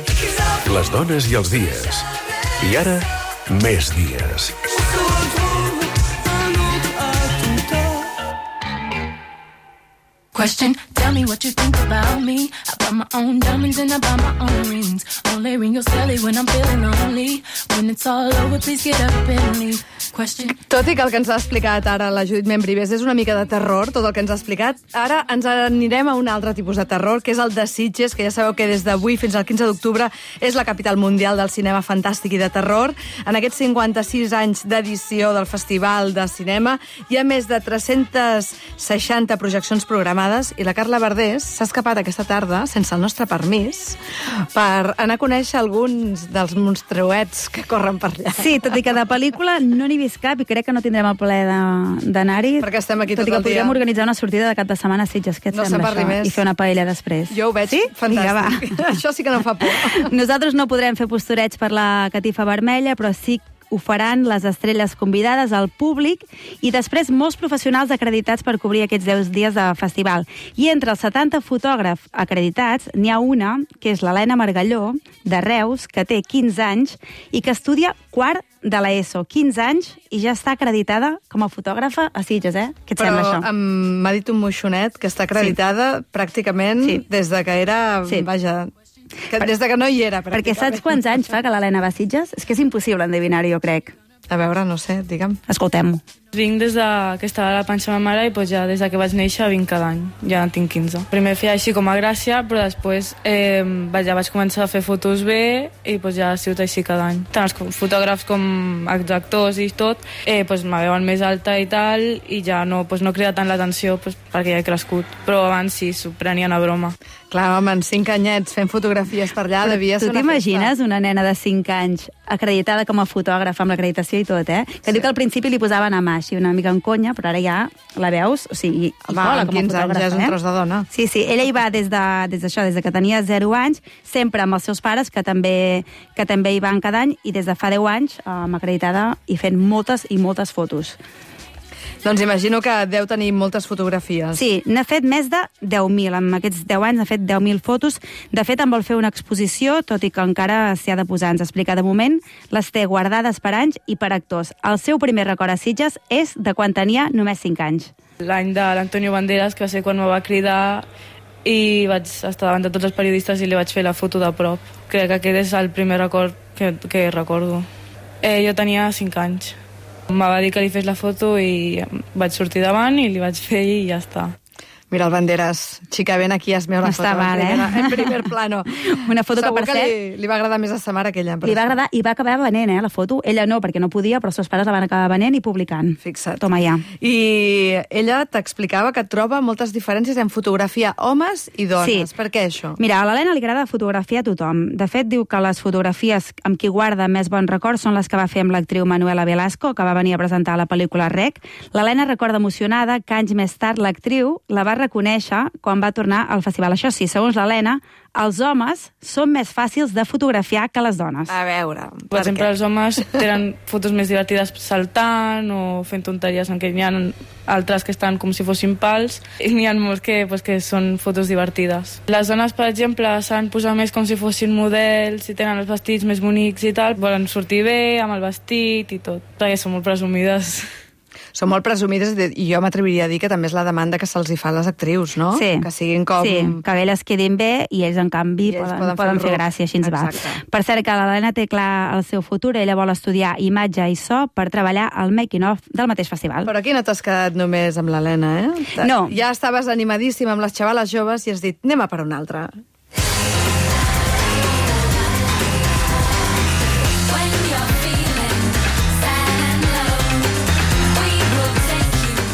Les dones i els dies. I ara, més dies. Question, tell me what you think about me. I buy my own diamonds and I buy my own rings. Only ring your celly when I'm feeling lonely. When it's all over, please get up and leave. Question. Tot i que el que ens ha explicat ara la Judit Membrives és una mica de terror, tot el que ens ha explicat, ara ens anirem a un altre tipus de terror, que és el de Sitges, que ja sabeu que des d'avui fins al quinze d'octubre és la capital mundial del cinema fantàstic i de terror. En aquests cinquanta-sis anys d'edició del Festival de Cinema hi ha més de tres-centes seixanta projeccions programades i la Carla Verdés s'ha escapat aquesta tarda, sense el nostre permís, per anar a conèixer alguns dels monstruets que corren per allà. Sí, tot i que de pel·lícula no n'hi he vist cap i crec que no tindrem el plaer d'anar-hi. Perquè estem aquí tot, tot i que el dia. podríem organitzar una sortida de cap de setmana a Sitges, què et no sembla això? Més. I fer una paella després. Jo ho veig sí? fantàstic. Vinga, això sí que no fa por. Nosaltres no podrem fer postureig per la catifa vermella, però sí ho faran les estrelles convidades, al públic i després molts professionals acreditats per cobrir aquests deu dies de festival. I entre els setanta fotògrafs acreditats n'hi ha una, que és l'Helena Margalló, de Reus, que té quinze anys i que estudia quart de l'ESO. quinze anys i ja està acreditada com a fotògrafa a Sitges, eh? Què et Però sembla això? m'ha dit un moixonet que està acreditada sí. pràcticament sí. des de que era... Sí. Vaja... Que des de que no hi era, perquè saps quants anys fa que l'Helena va a Sitges? És que és impossible endevinar-ho, jo crec. A veure, no sé, digue'm. Escoltem-ho. Vinc des de que estava a la panxa de ma mare i pues ja des de que vaig néixer vinc cada any. Ja en tinc quinze. Primer feia així com a gràcia, però després eh, ja vaig començar a fer fotos bé i pues ja ha sigut així cada any. Tant els fotògrafs com els actors i tot eh, pues me veuen més alta i tal i ja no, pues no crida tant l'atenció pues, perquè ja he crescut. Però abans sí, s'ho prenien a broma. Clar, home, en cinc anyets fent fotografies per allà devia ser una festa. Tu t'imagines una nena de cinc anys acreditada com a fotògrafa amb l'acreditació i tot, eh? Que sí. Diu que al principi li posaven a mà així una mica en conya, però ara ja la veus, o sigui, i cola com a quinze anys ja és un tros de dona. Sí, sí, ella hi va des de, des d'això, des de que tenia zero anys, sempre amb els seus pares, que també, que també hi van cada any, i des de fa deu anys, um, acreditada i fent moltes i moltes fotos. Doncs imagino que deu tenir moltes fotografies. Sí, n'ha fet més de deu mil. En aquests deu anys n'ha fet deu mil fotos. De fet, en vol fer una exposició, tot i que encara s'hi ha de posar. Ens explica, de moment, les té guardades per anys i per actors. El seu primer record a Sitges és de quan tenia només cinc anys. L'any de l'Antonio Banderas, que va ser quan me va cridar i vaig estar davant de tots els periodistes i li vaig fer la foto de prop. Crec que aquest és el primer record que, que recordo. Eh, jo tenia cinc anys. Em va dir que li fes la foto i vaig sortir davant i li vaig fer i ja està. Mira el Banderas, xica, ven aquí, hazme una no foto. Mal, eh? En primer plano. Una foto Segur que, per que cert... li, li va agradar més a sa mare que ella. Li va agradar i va acabar venent, eh, la foto. Ella no, perquè no podia, però els seus pares la van acabar venent i publicant. Fixa't. Toma ja. I ella t'explicava que troba moltes diferències en fotografia homes i dones. Sí. Per què això? Mira, a l'Helena li agrada fotografiar a tothom. De fet, diu que les fotografies amb qui guarda més bons records són les que va fer amb l'actriu Manuela Velasco, que va venir a presentar la pel·lícula Rec. L'Helena recorda emocionada que anys més tard l'actriu la va reconèixer quan va tornar al festival. Això sí, segons l'Helena, els homes són més fàcils de fotografiar que les dones. A veure, per, per exemple, què? Els homes tenen fotos més divertides saltant o fent tonteries, en què n'hi ha altres que estan com si fossin pals i n'hi ha molts que, pues, que són fotos divertides. Les dones, per exemple, saben posar més com si fossin models i tenen els vestits més bonics i tal, volen sortir bé amb el vestit i tot, perquè són molt presumides. Són molt presumides i jo m'atreviria a dir que també és la demanda que se'ls hi fa a les actrius, no? Sí. Que siguin com... Sí, que elles quedin bé i ells, en canvi, ells poden, poden, poden fer fer gràcia, així ens va. Exacte. Per cert, que l'Helena té clar el seu futur, ella vol estudiar imatge i so per treballar al making-of del mateix festival. Però aquí no t'has quedat només amb l'Helena, eh? No. Ja estaves animadíssima amb les xavales joves i has dit, anem a per una altra.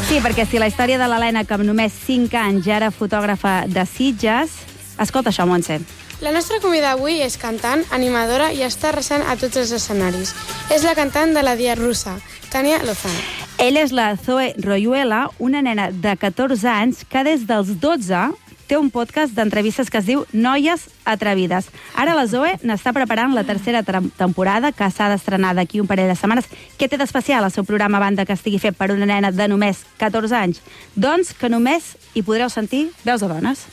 Sí, perquè si la història de l'Helena, que amb només cinc anys ja era fotògrafa de Sitges... Escolta això, Montse. La nostra convidada avui és cantant, animadora i està arrasant a tots els escenaris. És la cantant de la Dia Russa, Tania Lozano. Ella és la Zoe Royuela, una nena de catorze anys que des dels dotze té un podcast d'entrevistes que es diu Noies Atrevides. Ara la Zoe n'està preparant la tercera temporada, que s'ha d'estrenar d'aquí un parell de setmanes. Què té d'especial el seu programa, a banda que estigui fet per una nena de només catorze anys? Doncs que només hi podreu sentir veus de dones.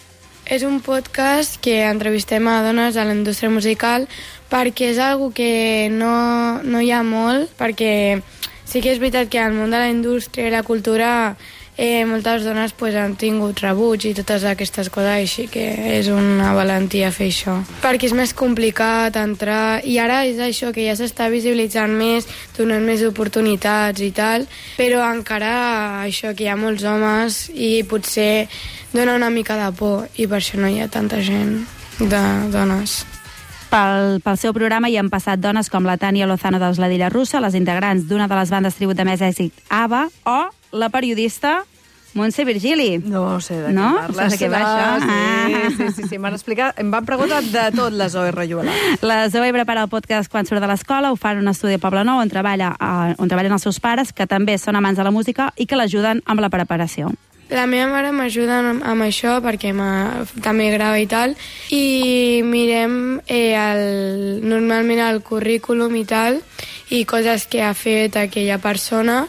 És un podcast que entrevistem a dones a la indústria musical perquè és algo que no, no hi ha molt, perquè sí que és veritat que al món de la indústria i la cultura eh, moltes dones pues, han tingut rebuig i totes aquestes coses, així que és una valentia fer això. Perquè és més complicat entrar, i ara és això, que ja s'està visibilitzant més, donant més oportunitats i tal, però encara això, que hi ha molts homes i potser dona una mica de por, i per això no hi ha tanta gent de dones. Pel, pel seu programa hi han passat dones com la Tània Lozano dels Ladilla Russa, les integrants d'una de les bandes tribut de més èxit, ABBA, o la periodista Montse Virgili. No sé de què no? parles. Saps de què va això? Sí, Ah. sí, sí, sí. M'han explicat, em van preguntar de tot la Zoe Rayuela. La Zoe prepara el podcast quan surt de l'escola, ho fa en un estudi a Poblenou on, treballa, eh, on treballen els seus pares, que també són amants de la música i que l'ajuden amb la preparació. La meva mare m'ajuda amb, amb això perquè també grava i tal, i mirem eh, el, normalment el currículum i tal, i coses que ha fet aquella persona,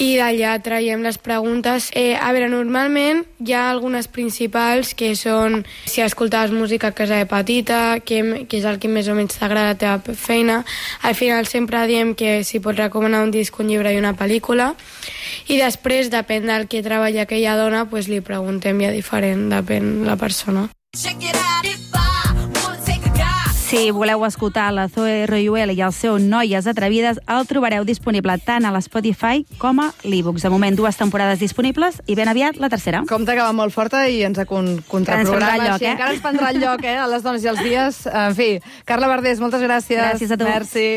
i d'allà traiem les preguntes. Eh, a veure, normalment hi ha algunes principals que són si escoltaves música a casa de petita, que, que és el que més o menys t'agrada la teva feina. Al final sempre diem que si pots recomanar un disc, un llibre i una pel·lícula. I després, depèn del que treballa aquella dona, pues li preguntem ja diferent, depèn la persona. Si voleu escoltar la Zoe Rayuela i el seu Noies Atrevides, el trobareu disponible tant a l'Spotify com a l'e-books. De moment, dues temporades disponibles i ben aviat la tercera. Compte que va molt forta i ens ha con contraprograma. Ens lloc, així, eh? Encara ens prendrà el lloc, eh? A les dones i els dies. En fi, Carla Verdés, moltes gràcies. Gràcies a tu. Merci.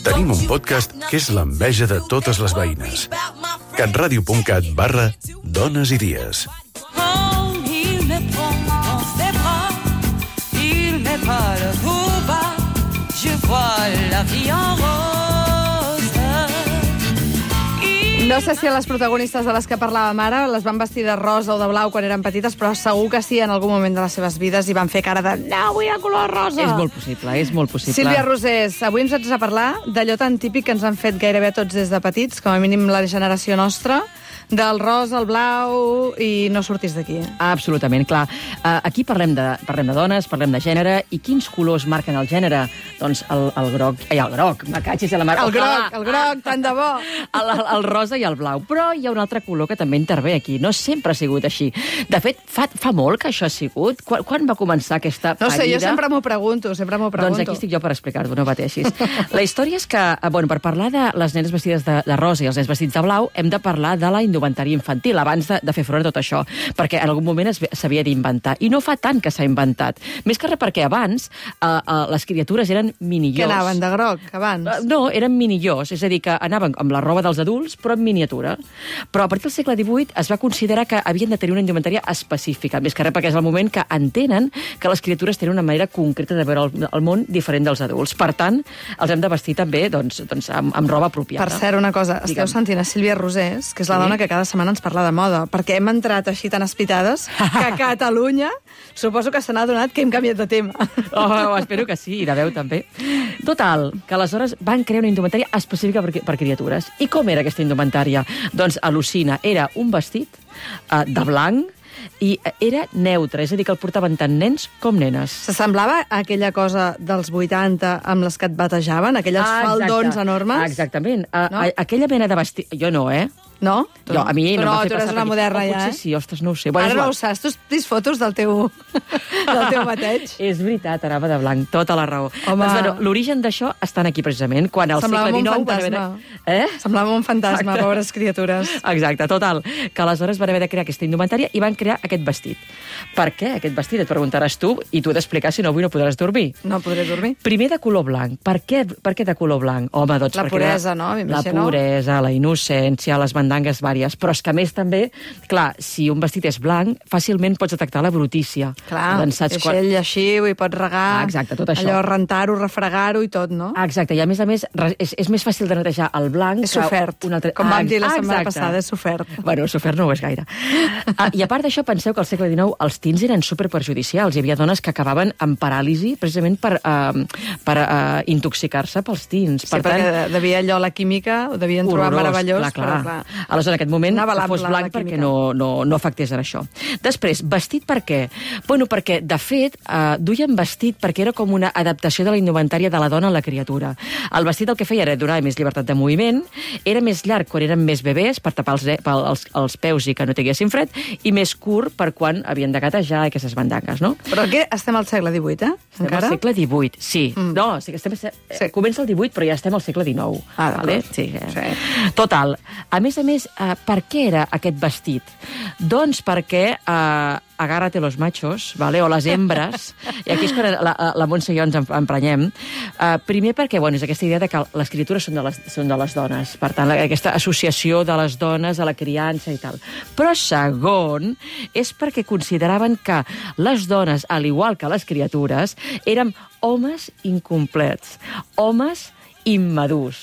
Tenim un podcast que és l'enveja de totes les veïnes. catradio.cat barra dones i dies. Il me prend dans ses bras, il me parle tout bas, je vois la vie en rose. No sé si a les protagonistes de les que parlàvem ara les van vestir de rosa o de blau quan eren petites, però segur que sí, en algun moment de les seves vides, i van fer cara de no, vull el color rosa. És molt possible, és molt possible. Sílvia Rosés, avui ens has de parlar d'allò tan típic que ens han fet gairebé tots des de petits, com a mínim la generació nostra, del rosa, el blau, i no sortis d'aquí. Absolutament, clar. Uh, aquí parlem de, parlem de dones, parlem de gènere, i quins colors marquen el gènere? Doncs el, el groc, ai, el groc, me catxis a la mar. El groc, el groc, tant de bo. El, el, el rosa i el blau. Però hi ha un altre color que també intervé aquí. No sempre ha sigut així. De fet, fa, fa molt que això ha sigut. Quan, quan va començar aquesta No sé, parida? jo sempre m'ho pregunto, sempre m'ho pregunto. Doncs aquí estic jo per explicar-t'ho, no pateixis. La història és que, bueno, per parlar de les nenes vestides de, de rosa i els nens vestits de blau, hem de parlar de la indumentària infantil, abans de, de fer front a tot això, perquè en algun moment s'havia d'inventar. I no fa tant que s'ha inventat. Més que res perquè abans uh, uh, les criatures eren minillors. Que anaven de groc, abans? Uh, no, eren minillors, és a dir, que anaven amb la roba dels adults, però en miniatura. Però a partir del segle divuit es va considerar que havien de tenir una indumentària específica, més que res perquè és el moment que entenen que les criatures tenen una manera concreta de veure el, el món diferent dels adults. Per tant, els hem de vestir també doncs, doncs, amb, amb roba apropiada. Per cert, una cosa, Digue'm. esteu sentint a Sílvia Rosés, que és la Sí. dona que cada setmana ens parla de moda, perquè hem entrat així tan espitades que a Catalunya suposo que se n'ha adonat que hem canviat de tema. Oh, oh, espero que sí, i de veu també. Total, que aleshores van crear una indumentària específica per, per criatures. I com era aquesta indumentària? Doncs al·lucina, era un vestit uh, de blanc, i era neutre, és a dir, que el portaven tant nens com nenes. S'assemblava a aquella cosa dels vuitanta amb les que et batejaven, aquelles Ah, exacte. faldons enormes? Exactament. A, No? a, aquella mena de vestit... Jo no, eh? No? Jo, a mi tu no, no, m'ha fet tu eres passar una per aquí. moderna Oh, ja, potser eh? sí, ostres, no ho sé. Ara és no igual. ho saps, tu has vist fotos del teu, del teu bateig. És veritat, anava de blanc, tota la raó. Home. Doncs, bueno, l'origen d'això està aquí precisament, quan al Semblava segle un dinou... van fantasma. haver de- Eh? Semblava un fantasma, Exacte. pobres criatures. Exacte, total. Que aleshores van haver de crear aquesta indumentària i van crear aquest vestit. Per què aquest vestit? Et preguntaràs tu, i tu he d'explicar, si no avui no podràs dormir. No podré dormir. Primer de color blanc. Per què, per què de color blanc? Home, doncs La perquè puresa, era no? La M'imagino. puresa, la innocència, les mandangues vàries. Però és que a més també, clar, si un vestit és blanc, fàcilment pots detectar la brutícia. Clar, Doncs saps quan... ell lleixiu i pots regar, Ah, exacte, tot això. allò rentar-ho, refregar-ho i tot, no? Ah, exacte, i a més a més re- és, és més fàcil de netejar el blanc És que sofert. un altre... Com vam dir la Ah, setmana exacte. passada, és sofert. Bueno, sofert no ho és gaire. Ah, I a part d'això, penseu que al segle dinou els tints eren superperjudicials. Hi havia dones que acabaven amb paràlisi precisament per, uh, per uh, intoxicar-se pels tints. Sí, perquè devia allò, la química, ho devien trobar Horrorós, meravellós, clar, clar. però clar. Aleshores, en aquest moment, Anava que fos la- la blanc perquè química. no, no, no afectés en això. Després, vestit per què? Bueno, perquè, de fet, eh, duien vestit perquè era com una adaptació de la indumentària de la dona a la criatura. El vestit el que feia era donar més llibertat de moviment, era més llarg quan eren més bebès, per tapar els, els, els peus i que no tinguessin fred, i més curt per quan havien de gatejar aquestes bandangues, no? Però aquí estem al segle divuit, eh? Estem Encara? al segle divuit, sí. Mm. No, sí que estem, sí. Comença el divuit, però ja estem al segle dinou. Ah, vale? Sí, eh? sí. Total. A més a més, eh, per què era aquest vestit? Doncs perquè... Eh, agárrate los machos, vale? O les hembres, i aquí és quan la, la Montse i jo ens emprenyem. Uh, primer perquè, bueno, és aquesta idea de que les criatures són de les, són de les dones, per tant, aquesta associació de les dones a la criança i tal. Però segon, és perquè consideraven que les dones, al igual que les criatures, eren homes incomplets, homes immadurs.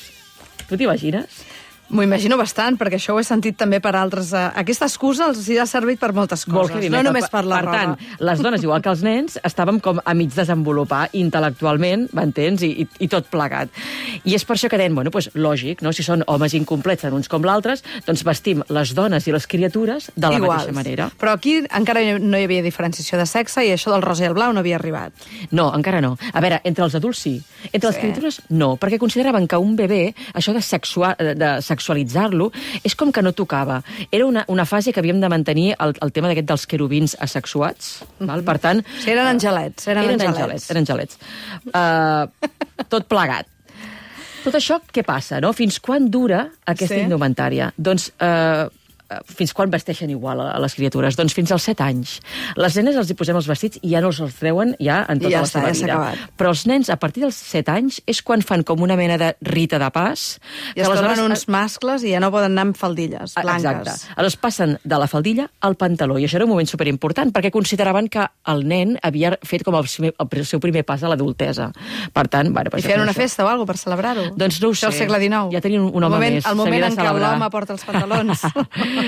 Tu t'imagines? M'ho imagino bastant, perquè això ho he sentit també per altres... Uh, aquesta excusa els ha servit per moltes coses, no només per la per roba. tant, les dones, igual que els nens, estàvem com a mig desenvolupar intel·lectualment, m'entens? I, i, I tot plegat. I és per això que deien, bueno, doncs lògic, no? Si són homes incomplets en uns com l'altres, doncs vestim les dones i les criatures de la Iguals. mateixa manera. Però aquí encara no hi havia diferenciació de sexe i això del rosa i el blau no havia arribat. No, encara no. A veure, entre els adults sí. Entre sí. les criatures no, perquè consideraven que un bebè, això de, sexua, de sexualitzar-lo, és com que no tocava. Era una, una fase que havíem de mantenir el, el tema d'aquest dels querubins asexuats. Mm-hmm. Val? Per tant... Sí, eren angelets. Eren, eren angelets. angelets. Eren angelets. Uh, tot plegat. Tot això, què passa, no? Fins quan dura aquesta Sí. indumentària? Doncs... Uh, fins quan vesteixen igual a les criatures? Doncs fins als set anys. Les nenes els hi posem els vestits i ja no els els treuen ja en tota I ja la està, seva ja s'ha vida. acabat. Però els nens, a partir dels set anys, és quan fan com una mena de rita de pas. I es tornen uns mascles i ja no poden anar amb faldilles blanques. Exacte. Aleshores passen de la faldilla al pantaló, i això era un moment superimportant, perquè consideraven que el nen havia fet com el, el seu primer pas a l'adultesa. Per tant, bueno, I feien una festa o alguna cosa per celebrar-ho? Doncs no ho Això sé. al segle dinou. Ja tenien un home el moment, més. El moment S'havia de en què celebrar. l'home porta els pantalons.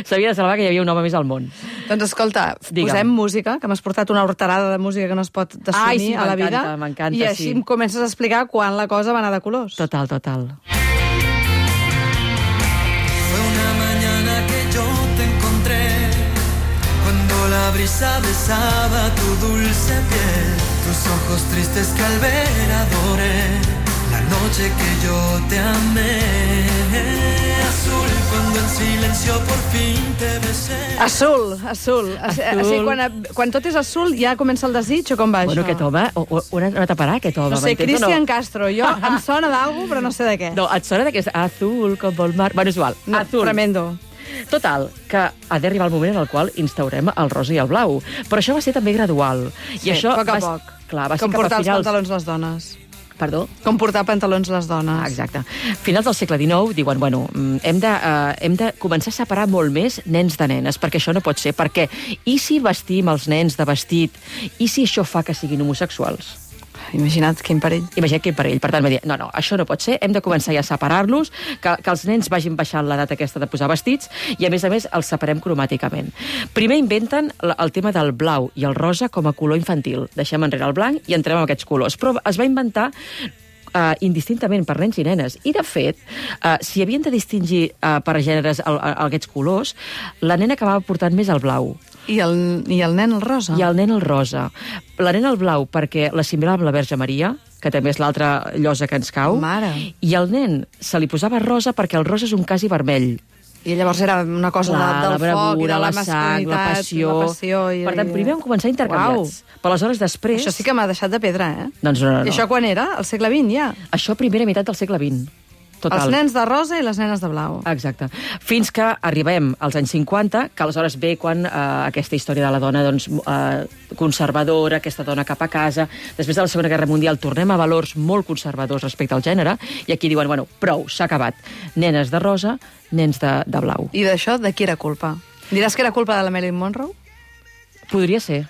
S'havia de celebrar que hi havia un home més al món. Doncs escolta, Digue'm. posem música, que m'has portat una horterada de música que no es pot desunir Ai, sí, a la vida. m'encanta, m'encanta, I així sí. em comences a explicar quan la cosa va anar de colors. Total, total. Fue una mañana que yo te encontré, cuando la brisa besaba tu dulce piel, tus ojos tristes que al ver adoré, la noche que yo te amé. Azul, cuando en silencio por fin te besé. Azul, azul. azul. Així, quan, quan tot és azul ja comença el desig o com va Bueno, això? aquest home, on ha anat a parar, aquest home? No sé, m'entens o Cristian no? Castro. Jo em sona d'algú, però no sé de què. No, et sona de que és azul com el mar... Bueno, és igual, No, azul. tremendo. Total, que ha d'arribar el moment en el qual instaurem el rosa i el blau. Però això va ser també gradual. Sí, I això a poc a va, poc. Clar, va ser Com cap a portar els finals... pantalons les dones. Perdó? Com portar pantalons les dones. Ah, exacte. Finals del segle dinou diuen, bueno, hem de, uh, hem de començar a separar molt més nens de nenes, perquè això no pot ser, perquè i si vestim els nens de vestit, i si això fa que siguin homosexuals? Imagina't quin perill. Imagina't quin perill. Per tant, va dir, no, no, això no pot ser, hem de començar ja a separar-los, que, que els nens vagin baixant l'edat aquesta de posar vestits, i a més a més els separem cromàticament. Primer inventen el, el tema del blau i el rosa com a color infantil. Deixem enrere el blanc i entrem amb aquests colors. Però es va inventar Uh, indistintament per nens i nenes. I, de fet, uh, si havien de distingir uh, per gèneres el, el, aquests colors, la nena acabava portant més el blau. I el, I el nen el rosa? I el nen el rosa. La nena el blau perquè l'assimilava amb la Verge Maria, que també és l'altra llosa que ens cau. Mare. I el nen se li posava rosa perquè el rosa és un quasi vermell. I llavors era una cosa Clar, de, del la bravura, foc i de la, la sang, la masculinitat, passió. la passió i... Per tant, primer vam començar intercanviats. Uau. Però aleshores després... Això sí que m'ha deixat de pedra, eh? Doncs no, no, no. I això quan era? Al segle vint, ja? Això primera meitat del segle vint. Total. Els nens de rosa i les nenes de blau. Exacte. Fins que arribem als anys cinquanta, que aleshores ve quan eh, aquesta història de la dona doncs, eh, conservadora, aquesta dona cap a casa. Després de la Segona Guerra Mundial tornem a valors molt conservadors respecte al gènere, i aquí diuen, bueno, prou, s'ha acabat. Nenes de rosa, nens de, de blau. I d'això, de qui era culpa? Diràs que era culpa de la Marilyn Monroe? Podria ser.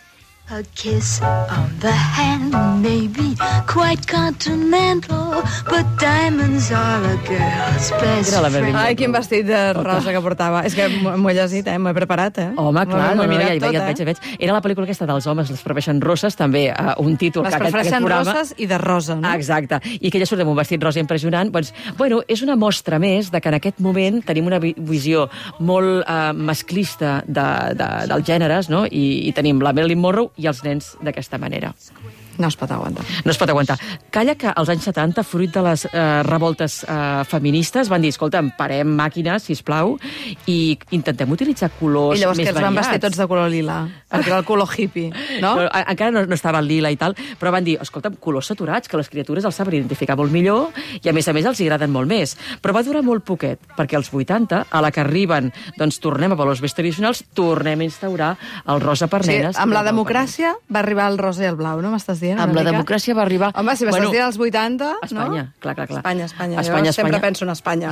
A kiss on the hand, maybe quite continental, but diamonds are a girl's best friend. Ai, quin vestit de rosa que portava. És que m'ho he llegit, eh? M'ho he preparat, eh? Home, clar, no, no, ja, tot, ja, ja, ja veig. Era la pel·lícula aquesta dels homes, les prefereixen rosses, també uh, un títol les que aquest, aquest prefereixen programa... roses i de rosa, no? Ah, exacte. I que ella surt amb un vestit rosa impressionant. Doncs, bueno, és una mostra més de que en aquest moment tenim una vi visió molt uh, masclista de, de, dels gèneres, no? I, i tenim la Marilyn Monroe i els nens d'aquesta manera. No es pot aguantar. No es pot aguantar. Calla que als anys setanta, fruit de les eh, revoltes eh, feministes, van dir, escolta'm, parem màquines, sisplau, i intentem utilitzar colors més variats. I llavors que els van vestir tots de color lila, perquè era el color hippie, no? no encara no, no estava el lila i tal, però van dir, escolta'm, colors saturats, que les criatures els saben identificar molt millor, i a més a més els agraden molt més. Però va durar molt poquet, perquè als vuitanta, a la que arriben, doncs tornem a valors més tradicionals, tornem a instaurar el rosa per nenes. Sí, amb la democràcia va arribar el rosa i el blau, no m'estàs dient? Amb la democràcia va arribar... Home, si m'estàs bueno, dient als vuitanta, Espanya, no? clar, clar, clar. Espanya, Espanya. Espanya, jo sempre Espanya. penso en Espanya.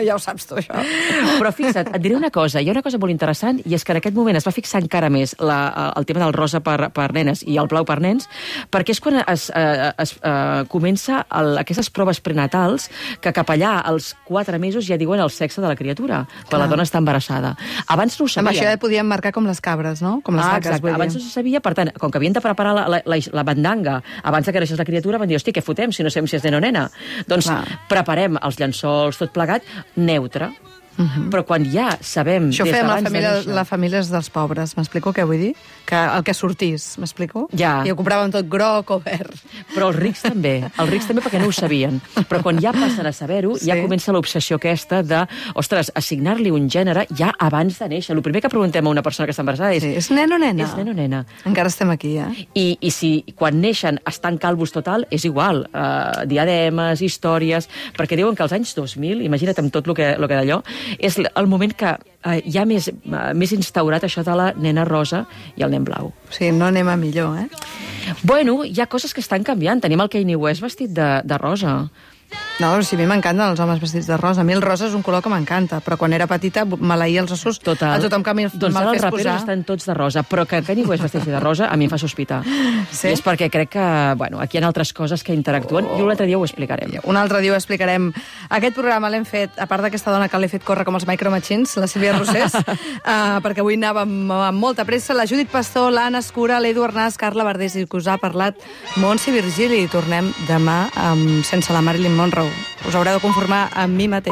Ja ho saps tu, això. Però fixa't, et diré una cosa, hi ha una cosa molt interessant, i és que en aquest moment es va fixar encara més la, el tema del rosa per, per nenes i el blau per nens, perquè és quan es, eh, es eh, comença el, aquestes proves prenatals que cap allà als quatre mesos ja diuen el sexe de la criatura, quan Clar. la dona està embarassada. Abans no ho sabien. Amb això ja podíem marcar com les cabres, no? Com les ah, vaques, exacte. vull dir. Abans no se sabia, per tant, com que havien de preparar la, la, la, la bandanga abans que naixés la criatura, van dir, hosti, què fotem si no sabem si és nen o nena? Doncs Clar. preparem els llençols, tot plegat, neutre. Uh-huh. Però quan ja sabem... Això des fem la d'abans de família, néixer- la famílies dels pobres, m'explico què vull dir? Que el que sortís, m'explico? Ja. I ho compràvem tot groc o verd. Però els rics també, els rics també perquè no ho sabien. Però quan ja passen a saber-ho, sí. ja comença l'obsessió aquesta de, ostres, assignar-li un gènere ja abans de néixer. El primer que preguntem a una persona que està embarassada és... Sí, és nen o nena? És nen o nena. Encara estem aquí, eh? I, i si quan neixen estan calvos total, és igual. Uh, diademes, històries... Perquè diuen que als anys dos mil, imagina't amb tot el que, lo que d'allò, és el moment que eh, hi ha més, uh, més instaurat això de la nena rosa i el nen blau. Sí, no anem a millor, eh? Bueno, hi ha coses que estan canviant. Tenim el Kanye West vestit de, de rosa. No, si a mi m'encanten els homes vestits de rosa. A mi el rosa és un color que m'encanta, però quan era petita maleïa els ossos Total. a tothom que me'l doncs ara els fes raperos posar. estan tots de rosa, però que Kanye West vesteixi de rosa a mi em fa sospitar. Sí? I és perquè crec que, bueno, aquí hi ha altres coses que interactuen oh. i un altre dia ho explicarem. Un altre dia ho explicarem. Aquest programa l'hem fet, a part d'aquesta dona que l'he fet córrer com els Micro Machines, la Sílvia Rosés, uh, perquè avui anàvem amb molta pressa, la Judit Pastor, l'Anna Escura, l'Edu Arnàs, Carla Verdés, i que us ha parlat Montse Virgili. I tornem demà amb Sense la Marilyn Monroe. Us haureu de conformar amb mi mateix.